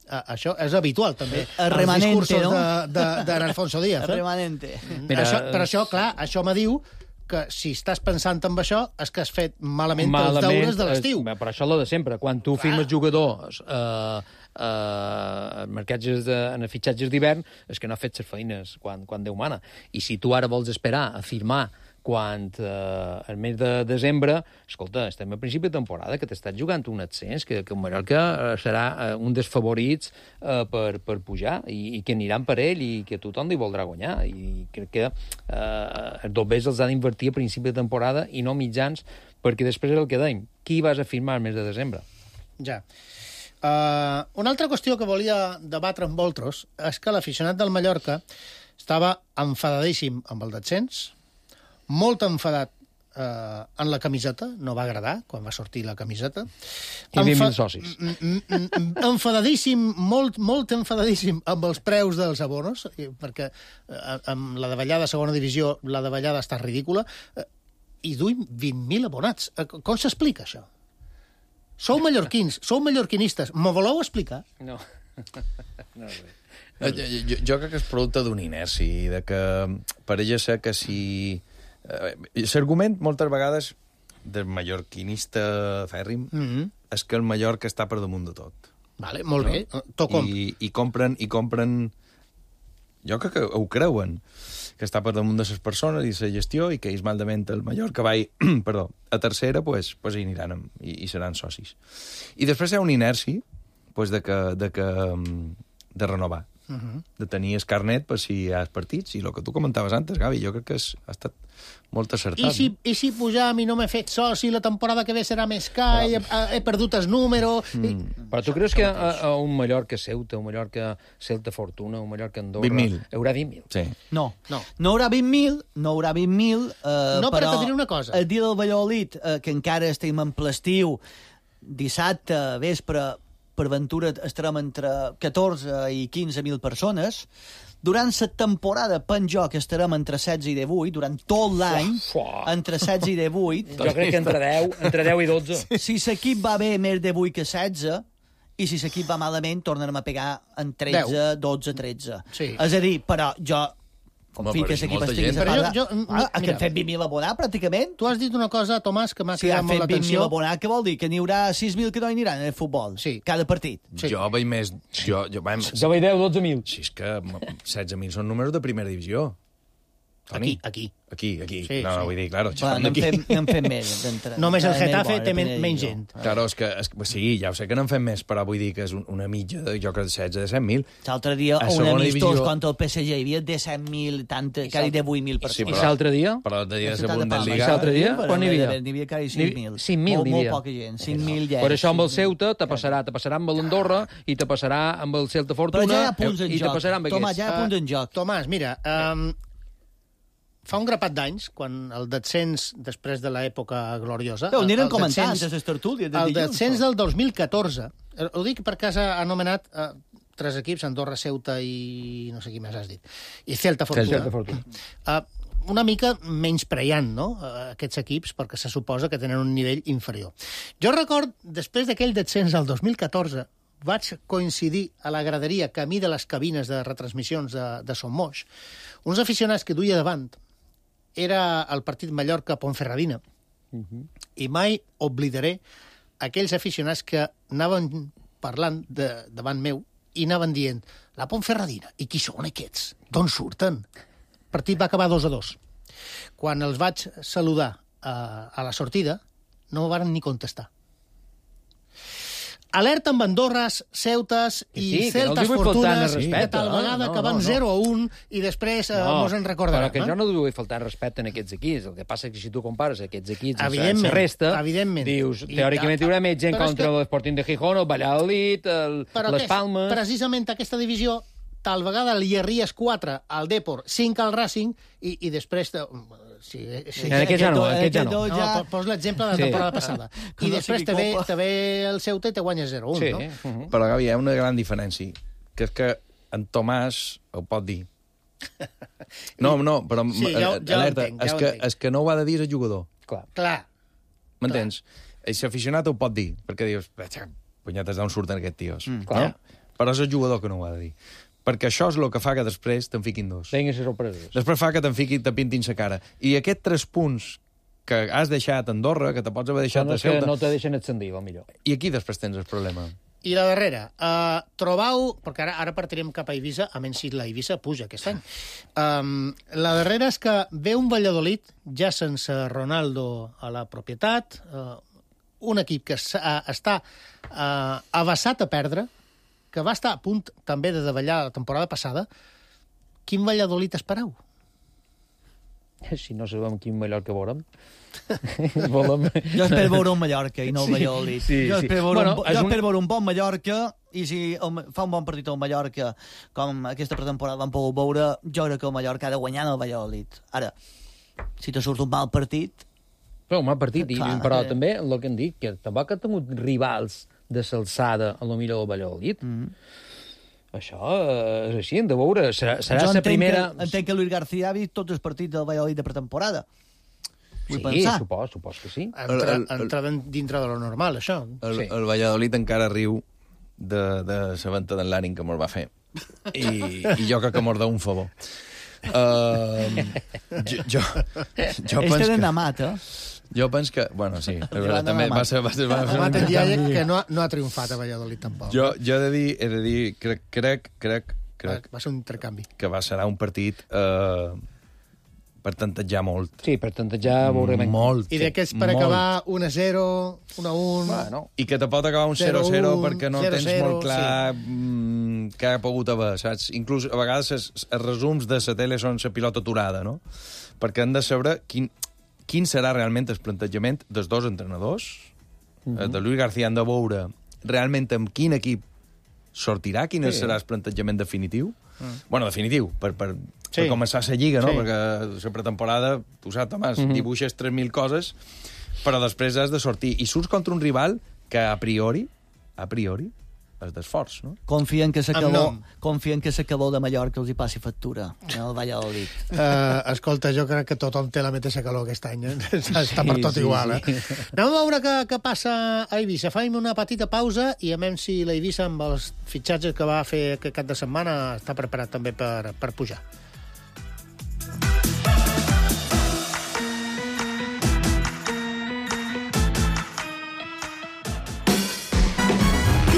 Això és habitual, també, als discursos d'en Alfonso Díaz. El remanente. Per això, clar, això me diu que si estàs pensant en això és que has fet malament els deures de l'estiu. Per això és de sempre. Quan tu firmes jugadors en fitxatges d'hivern, és que no ha fet les feines quan Déu mana. I si tu ara vols esperar a firmar quan al mes de desembre, escolta, estem a principi de temporada, que t'estàs jugant un ascens, que el Mallorca serà un dels favorits per pujar, i que aniran per ell, i que tothom hi voldrà guanyar. I crec que els dobbers els ha d'invertir a principi de temporada i no mitjans, perquè després és el que dèiem. Qui vas a firmar al mes de desembre? Ja. Una altra qüestió que volia debatre amb vosaltres és que l'aficionat del Mallorca estava enfadadíssim amb el descens, molt enfadat en la camiseta, no va agradar quan va sortir la camiseta. I 20.000 socis. Enfadadíssim, molt enfadadíssim amb els preus dels abonos, perquè amb la davallada segona divisió la davallada està ridícula, i duim 20.000 abonats. Com s'explica això? Sou mallorquins, sou mallorquinistes, m'ho voleu explicar? No. No sé. Jo crec que és producte d'un inerci, de que pareix ser que si... L'argument, moltes vegades, del mallorquinista fèrrim, és que el Mallorca està per damunt de tot. Vale, molt bé. I compren... Jo crec que ho creuen, que està per damunt de les persones i la gestió, i que ells malament el Mallorca va a tercera, pues hi aniran i seran socis. I després hi ha un inerci de renovar, de tenir el carnet per si hi ha partits, i el que tu comentaves antes, Gavi, jo crec que ha estat molt acertat. I si pujam i no m'he fet soci, la temporada que ve serà més car, he perdut el número... Però tu creus que a un Mallorca Ceuta, un Mallorca Celta Fortuna, un Mallorca Andorra... 20.000. Haurà 20.000? Sí. No haurà 20.000, no, però te diré una cosa. El dia del Valladolid, que encara estem en ple estiu, dissabte, vespre, per ventura estarem entre 14 i 15.000 persones. Durant la temporada, penjo que estarem entre 16 i 18, durant tot l'any, entre 16 i 18. Jo crec que entre 10 i 12. Si l'equip va bé més de 8 que 16, i si l'equip va malament tornarem a pegar en 13, 12, 13. Sí. És a dir, però jo confio però que és l'equip molta estigui gent. separat. Però Que hem fet 20.000 abonats, pràcticament. Tu has dit una cosa, Tomàs, que m'ha Si cridat han molt fet 20.000 l'atenció. abonats, què vol dir? Que n'hi haurà 6.000 que no hi aniran en el futbol? Sí. Cada partit. Sí. Jo veig més... Jo veig 10, 12.000. Si és que 16.000 són números de primera divisió. Toni. Aquí. Aquí. Sí, no, sí. vull dir, claro, Bueno, n'hem fet més. Només el Getafe té menys gent. Claro, és que sí, ja ho sé que n'han fet més, però vull dir que és una mitja, jo crec, de 16 de 100.000. L'altre dia, A un segona amistós divisió- contra el PSG hi havia de 100.000, quasi de 8.000 persones. I l'altre dia? Però l'altre dia de Ciutat la de Palma. Bundesliga... I l'altre dia? Quan n'hi havia? N'hi havia quasi 5.000. 5.000 n'hi havia. Molt poca gent, 5.000 ja. Per això amb el Ceuta te passarà amb l'Andorra i te passarà amb el Celta Però Fortuna ja hi ha punts en i te joc. passarà amb Tomàs, aquests. ja hi ha punts en joc. Tomàs, mira, fa un grapat d'anys, quan el descens després de l'època gloriosa... Ho anirem el comentant descens- des de les tertúlies de El dilluns. descens del 2014, ho dic perquè has anomenat 3 equips, Andorra, Ceuta i no sé qui més has dit, i Celta Fortuna. Celta Fortuna. Una mica menyspreant, no?, aquests equips, perquè se suposa que tenen un nivell inferior. Jo record, després d'aquell descens del 2014, vaig coincidir a la graderia camí de les cabines de retransmissions de Son Moix, uns aficionats que duia davant era el partit Mallorca-Ponferradina, i mai oblidaré aquells aficionats que anaven parlant davant meu i anaven dient, la Ponferradina, i qui són aquests? D'on surten? El partit va acabar 2-2. Quan els vaig saludar a la sortida, no m'ho van ni contestar. Alerta amb Andorres, Ceutes i Celtes Fortunes, que tal vegada que van 0-1 i després mos en recordaran. Però que jo no vull faltar respecte en aquests equips. El que passa és que si tu compares aquests equips amb Evidentment, la resta, evidentment. dius, teòricament hi haurà més gent Però és contra que- l'Sporting de Gijón, el Valladolid, les Palmes... Precisament aquesta divisió, tal vegada li arries 4 al Depor, 5 al Racing, i després... Sí, En aquest ja no, aquest ja no. No, pos l'exemple de la temporada passada. I després te ve el Ceuta i te guanya 0-1, Sí. no? Però, Gavi, hi ha una gran diferència, que és que en Tomàs ho pot dir. No, però Sí, ja ho alerta, entenc, ja ho entenc. és que no ho ha de dir el jugador. Clar. M'entens? I l'aficionat ho pot dir, perquè dius, punyetes, d'on surten aquests tios? Clar. Però és el jugador que no ho ha de dir. Perquè això és el que fa que després te'n fiquin dos. Vinguin les sorpreses. Després fa que te pintin sa cara. I aquests 3 punts que has deixat a Andorra, que te pots haver deixat Són a els que Ceuta... no te deixen ascendir, millor. I aquí després tens el problema. I la darrera, trobau, perquè ara partirem cap a Eivissa, a menys si la Eivissa puja aquest any. La darrera és que ve un Valladolid, ja sense Ronaldo a la propietat, un equip que està avasat a perdre, que va estar a punt també de davallar la temporada passada. Quin Valladolid espereu? Si no sabem quin Mallorca veurem. Volem... Jo espero veure un Mallorca i no el Valladolid. Jo espero veure un bon Mallorca i si fa un bon partit al Mallorca, com aquesta pretemporada vam poder veure, jo crec que el Mallorca ha de guanyar el Valladolid. Ara, si te surt un mal partit... Però un mal partit, però que... també el que em dic, que tampoc ha tingut rivals de s'alçada a lo millor del Valladolid. Això és així, hem de veure. Serà la primera... Entenc que Luis García ha vist tots els partits del Valladolid de pretemporada. Sí, supos que sí. Entra dintre de lo normal, això. El Valladolid encara riu de la venta d'en Larin que me'l va fer. I jo crec que m'ho deu un favor. Jo penso que... Amat, Jo penso que... Bueno, sí, també va ser... Amat en dia que no ha triomfat a Valladolid, tampoc. Jo he de dir, crec... Va ser un intercanvi. Que serà un partit per tantejar molt. Sí, per tantejar veurem... Molt. I d'aquests per acabar 1-0, 1-1... Bueno. I que te pot acabar un 0-0 perquè no tens molt clar què ha pogut haver, saps? Inclús a vegades els resums de la tele són la pilota aturada, no? Perquè han de saber quin serà realment el plantejament dels dos entrenadors. De Luis García han de veure realment amb quin equip sortirà, quin serà el plantejament definitiu. Bueno, definitiu, per començar la lliga, no? Perquè la pretemporada, tu saps, Tomàs, dibuixes 3.000 coses, però després has de sortir. I surts contra un rival que a priori, d'esforç, no? Confien que s'acabó de Mallorca els hi passi factura, el Valladolid. Escolta, jo crec que tothom té la mateixa calor aquest any, està per tot igual, Anem a veure què passa a Eivissa. Fem una petita pausa i a veure si l'Eivissa, amb els fitxatges que va fer aquest cap de setmana, està preparat també per pujar.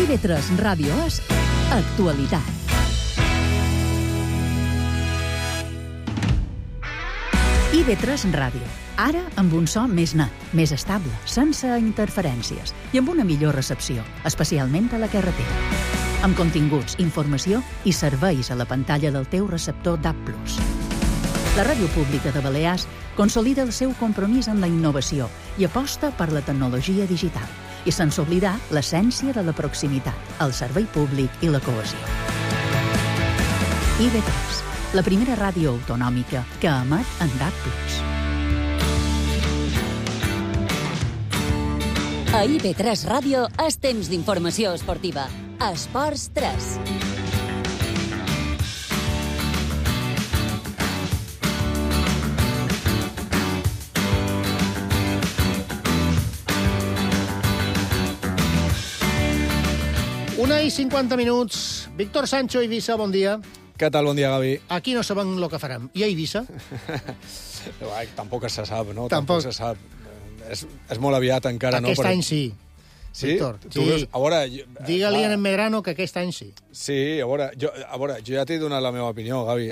TV3 Ràdio és Actualitat. IB3 Ràdio. Ara amb un so més net, més estable, sense interferències i amb una millor recepció, especialment a la carretera. Amb continguts, informació i serveis a la pantalla del teu receptor DAB+. La Ràdio Pública de Balears consolida el seu compromís amb la innovació i aposta per la tecnologia digital, i sense oblidar l'essència de la proximitat, el servei públic i la cohesió. IB3, la primera ràdio autonòmica que emet en DAB+. A IB3 Ràdio és temps d'informació esportiva. Esports 3. Una i 50 minuts. Víctor Sancho, Eivissa, bon dia. Què tal? Bon dia, Gavi. Aquí no sabem el que farem. I a Eivissa? Tampoc se sap, no? Tampoc se sap. És molt aviat encara, no? Aquest any sí. Sí? Víctor, sí. Veus, a veure... Digue-li a en Medrano que aquest any sí. Sí, a veure, jo ja t'he donat la meva opinió, Gavi.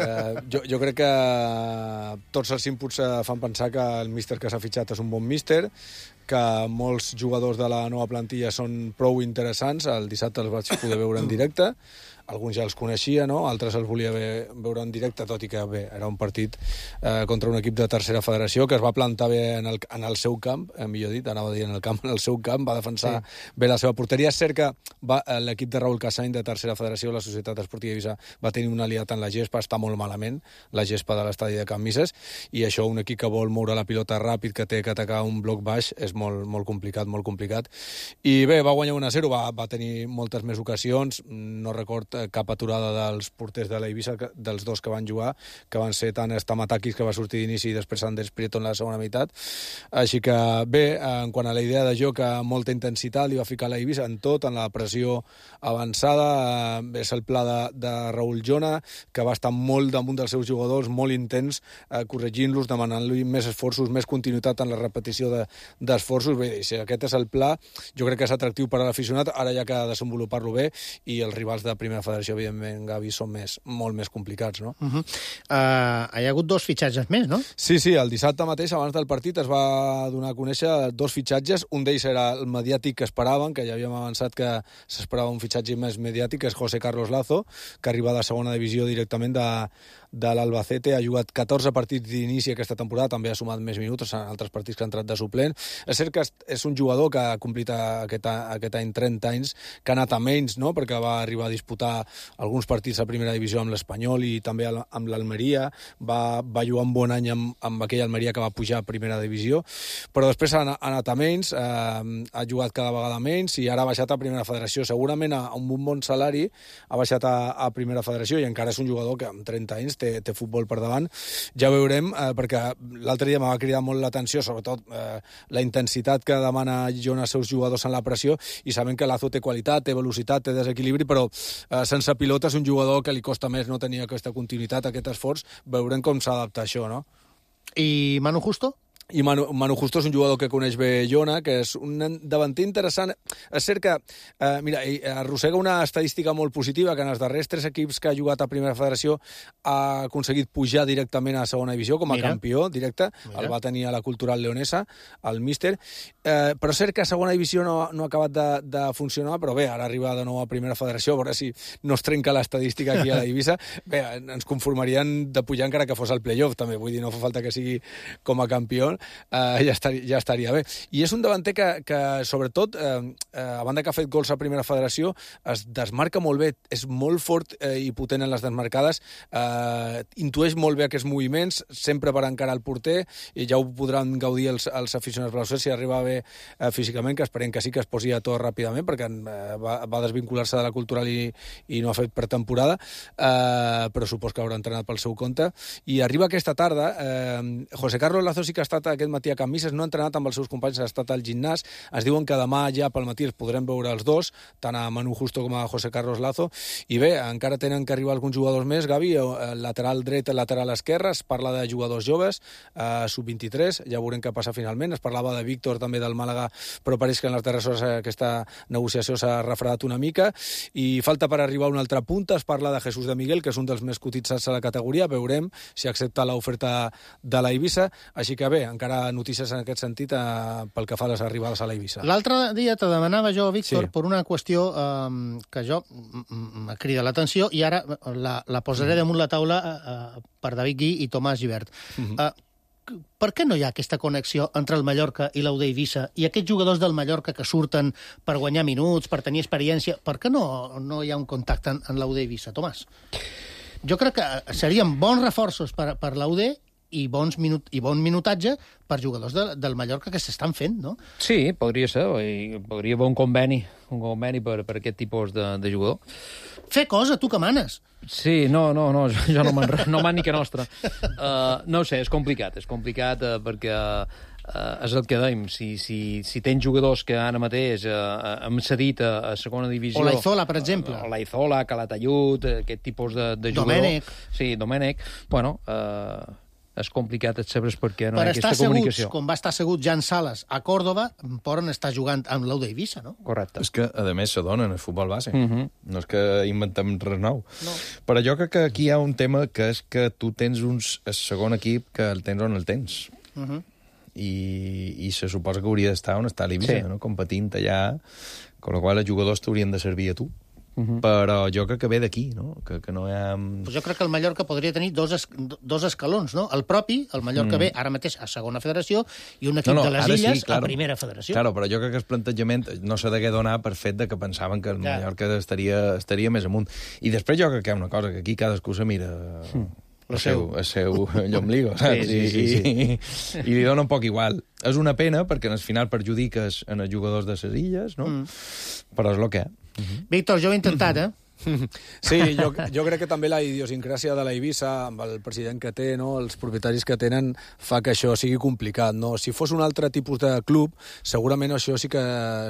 Jo crec que tots els inputs fan pensar que el míster que s'ha fitxat és un bon míster, que molts jugadors de la nova plantilla són prou interessants. El dissabte els vaig poder veure en directe. Alguns ja els coneixia, no? Altres els volia veure en directe, tot i que bé, era un partit contra un equip de tercera federació que es va plantar bé en el seu camp, millor dit, anava a dir en el seu camp, va defensar bé la seva porteria. És cert que l'equip de Raúl Casany de tercera federació, la Societat Esportiva Eivissa, va tenir un aliat en la gespa, està molt malament, la gespa de l'estadi de Can Misses, i això, un equip que vol moure la pilota ràpid, que té que atacar un bloc baix, és molt complicat, molt complicat. I bé, va guanyar 1-0, va tenir moltes més ocasions, no record cap aturada dels porters de l'Eivissa, dels dos que van jugar, que van ser tant Stamatakis, que va sortir d'inici, i després Anders Prieto en la segona meitat. Així que bé, en quant a la idea de joc, molta intensitat li va ficar l'Eivissa en tot, en la pressió avançada. És el pla de Raúl Jona, que va estar molt damunt dels seus jugadors, molt intens, corregint-los, demanant-li més esforços, més continuïtat en la repetició d'esforços. Bé, si aquest és el pla, jo crec que és atractiu per a l'aficionat. Ara ja que desenvolupar-lo bé, i els rivals de primera federació, evidentment, Gavi, són molt més complicats, no? Hi ha hagut 2 fitxatges més, no? Sí, el dissabte mateix, abans del partit, es va donar a conèixer 2 fitxatges. Un d'ells era el mediàtic que esperaven, que ja havíem avançat que s'esperava un fitxatge més mediàtic, que és José Carlos Lazo, que arriba de segona divisió directament de l'Albacete. Ha jugat 14 partits d'inici aquesta temporada, també ha sumat més minuts en altres partits que ha entrat de suplent. És cert que és un jugador que ha complit aquest any 30 anys, que ha anat a menys, no?, perquè va arribar a disputar alguns partits a primera divisió amb l'Espanyol i també amb l'Almeria. Va jugar un bon any amb aquella Almeria que va pujar a primera divisió, però després ha anat a menys, ha jugat cada vegada menys i ara ha baixat a primera federació. Segurament a un bon salari ha baixat a primera federació, i encara és un jugador que amb 30 anys té futbol per davant. Ja veurem, perquè l'altre dia m'ha cridat molt l'atenció, sobretot la intensitat que demana Jona als seus jugadors en la pressió, i sabem que Lazo té qualitat, té velocitat, té desequilibri, però sense pilota és un jugador que li costa més no tenir aquesta continuïtat, aquest esforç. Veurem com s'adapta això, no? I Manu Justo? I Manu Justo és un jugador que coneix bé Jona, que és un davanter interessant. És cert que, mira, arrossega una estadística molt positiva, que en els darrers 3 equips que ha jugat a primera federació ha aconseguit pujar directament a segona divisió com a campió directe. El va tenir a la Cultural Leonesa, el míster. Però és cert que a segona divisió no ha acabat de funcionar, però bé, ara arriba de nou a primera federació, a veure si no es trenca l'estadística aquí a la Eivissa. Bé, ens conformarien de pujar encara que fos al playoff, també. Vull dir, no fa falta que sigui com a campió, espanyol, ja estaria bé. I és un davanter que sobretot, a banda que ha fet gols a primera federació, es desmarca molt bé, és molt fort i potent en les desmarcades, intueix molt bé aquests moviments, sempre per encarar el porter, i ja ho podran gaudir els aficionats blaus si arriba bé físicament, que esperem que sí que es posi a to ràpidament, perquè va desvincular-se de la cultural i no ha fet pretemporada, però supos que haurà entrenat pel seu compte. I arriba aquesta tarda, José Carlos Lazo sí que ha estat aquest matí a Can Misses, no ha entrenat amb els seus companys, ha estat al gimnàs, es diuen que demà ja pel matí els podrem veure els dos, tant a Manu Justo com a José Carlos Lazo, i bé, encara tenen que arribar alguns jugadors més, Gavi, el lateral dret, el lateral esquerre, es parla de jugadors joves, sub-23, ja veurem què passa finalment, es parlava de Víctor també del Màlaga, però pareix que en les darreres hores aquesta negociació s'ha refredat una mica, i falta per arribar una altra punta, es parla de Jesús de Miguel, que és un dels més cotitzats a la categoria, veurem si accepta l'oferta de la Eivissa, així que bé, encara notícies en aquest sentit pel que fa a les arribades a la Eivissa. L'altre dia te demanava jo, Víctor, per una qüestió que jo m'ha cridat l'atenció i ara la posaré damunt la taula per David Gui i Tomàs Gibert. Per què no hi ha aquesta connexió entre el Mallorca i l'UD Eivissa i aquests jugadors del Mallorca que surten per guanyar minuts, per tenir experiència, per què no hi ha un contacte en l'UD Eivissa, Tomàs? Jo crec que serien bons reforços per l'UD i bon minutatge per jugadors del Mallorca que s'estan fent, no? Sí, podria ser. Podria haver un conveni per aquest tipus de jugador. Fer cosa, tu que manes. Sí, no, jo no man ni que nostra. No ho sé, és complicat perquè és el que dèiem, si tens jugadors que ara mateix hem cedit a segona divisió... O l'Aizola, per exemple. O l'Aizola, Calatayud, aquest tipus de jugador... Domènec. Sí, Domènec. Bueno, és complicat saber per què no hi ha aquesta comunicació. Com va estar assegut Jan Sales a Còrdova, poden estar jugant amb l'UD Eivissa, no? Correcte. És que, a més, s'adonen el futbol base. No és que inventem res nou. No. Però jo crec que aquí hi ha un tema que és que tu tens el segon equip que el tens on el tens. I se suposa que hauria d'estar on està l'Eivissa, no? Competint allà, amb la qual els jugadors t'haurien de servir a tu. Però jo crec que ve d'aquí, no? Que no hi ha... Pues jo crec que el Mallorca podria tenir dos escalons, no? El Mallorca ve ara mateix a segona federació i un equip de les Illes a primera federació. Claro, però jo crec que el plantejament no s'ha de donar per fet de que pensaven que el Mallorca estaria més amunt. I després jo crec que hi ha una cosa, que aquí cadascú se mira... El seu llombligo, saps? Sí. I li dona un poc igual. És una pena, perquè al final perjudiques en els jugadors de les Illes, no? Però és el que és. Víctor, jo ho he intentat, Sí, jo crec que també la idiosincràsia de la Eivissa, amb el president que té, no, els propietaris que tenen, fa que això sigui complicat. No? Si fos un altre tipus de club, segurament això sí que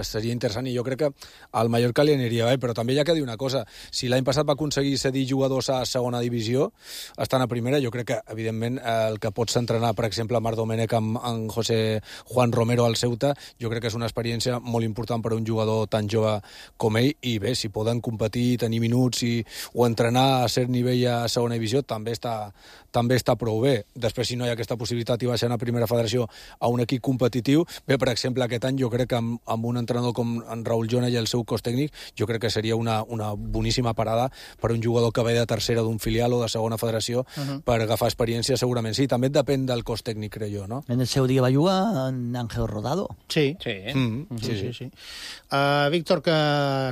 seria interessant, i jo crec que al Mallorca li aniria bé, però també hi ha que dir una cosa. Si l'any passat va aconseguir cedir jugadors a segona divisió, estan a primera, jo crec que, evidentment, el que pots entrenar, per exemple, Marc Domènech amb José Juan Romero al Ceuta, jo crec que és una experiència molt important per a un jugador tan jove com ell, i bé, si poden competir i tenir minuts o entrenar a cert nivell a segona divisió també està prou bé. Després, si no hi ha aquesta possibilitat i baixant a primera federació a un equip competitiu, bé, per exemple, aquest any jo crec que amb un entrenador com en Raúl Jona i el seu cos tècnic, jo crec que seria una boníssima parada per un jugador que ve de tercera d'un filial o de segona federació per agafar experiència, segurament. Sí, també depèn del cos tècnic, crec jo, no? En el seu dia va jugar en Ángel Rodado. Sí. Víctor, que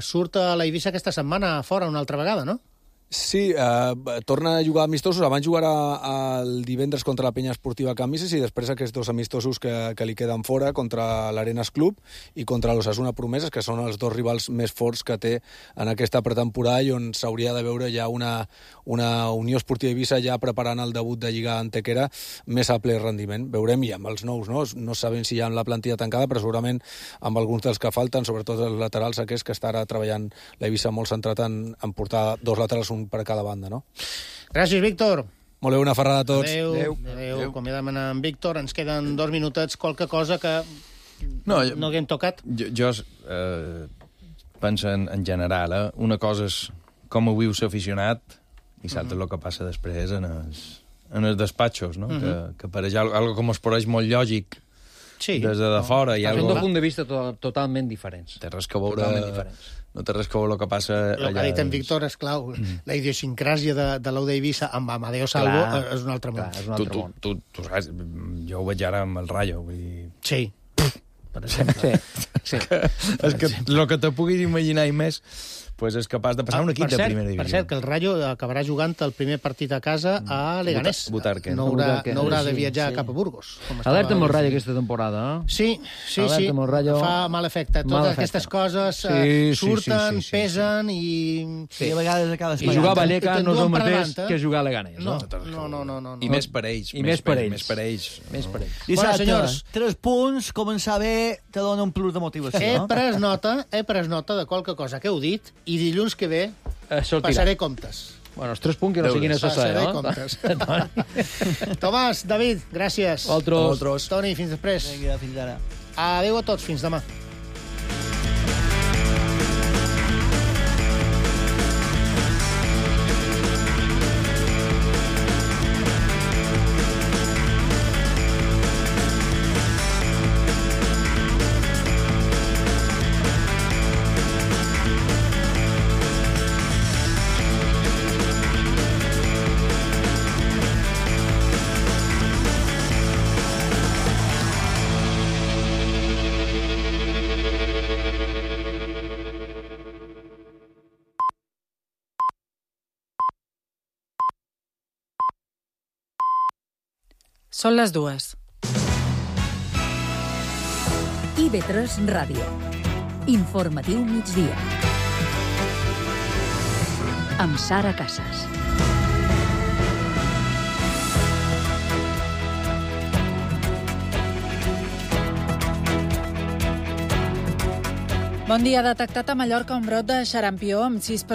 surt a la Eivissa aquesta setmana fora una altra vegada, no? Sí, torna a jugar amistosos. Abans jugarà el divendres contra la Penya Esportiva Can Misses i després aquests dos amistosos que li queden fora contra l'Arenas Club i contra l'Osasuna Promeses, que són els dos rivals més forts que té en aquesta pretemporada i on s'hauria de veure ja una Unió Esportiva Eivissa ja preparant el debut de Lliga Antequera més a ple rendiment. Veurem, i amb els nous, no sabem si hi ha la plantilla tancada, però segurament amb alguns dels que falten, sobretot els laterals aquests, que està ara treballant l'Eivissa molt centrat en portar dos laterals, un per cada banda, no? Gràcies, Víctor. Molt bé, una ferrada a tots. Adéu. Acomiadem en Víctor. Ens queden 2 minutets, qualque cosa que no haguem tocat. Jo penso en general, una cosa és com ho viu l'aficionat i l'altra el que passa després en els despatxos, no? Que per allà algo com es pareix molt lògic des de fora. Des d'un punt de vista totalment diferents. Té res que veure... No té res que veure el que passa allà. El que ha dit en Víctor, esclau, la idiosincràsia de l'Ou d'Eivissa amb Amadeo Salvo és un altre món. És un altre món. Tu saps, jo ho veig ara amb el Rayo. Vull dir... Sí. Per exemple. Sí. És que el que te puguis imaginar i més pues és capaç de passar un equip de primera divisió. Per cert, que el Rayo acabarà jugant el primer partit a casa a Leganés. Butarque. No haurà de viatjar cap a Burgos. Alerta amb el Rayo aquesta temporada. Sí. Fa mal efecte. Totes aquestes coses surten, pesen i... I a vegades acaba I jugar a Vallecas no és el mateix que jugar a Leganés. No. I més per ells. Més per ells. Dissabte, 3 punts, començar bé, te dona un plus de motivació. He pres nota de qualque cosa que heu dit i dilluns que ve passaré comptes. Bueno, els 3 punts que no siguin necessaris. Passaré comptes. Tomàs, David, gràcies. Vosaltres. Toni, fins després. Vinga, fins ara. Adéu a tots, fins demà. Són les 2. IB3 Ràdio. Informatiu migdia. Amb Sara Casas. Bon dia. Detectat a Mallorca un brot de xarampió amb 6 persones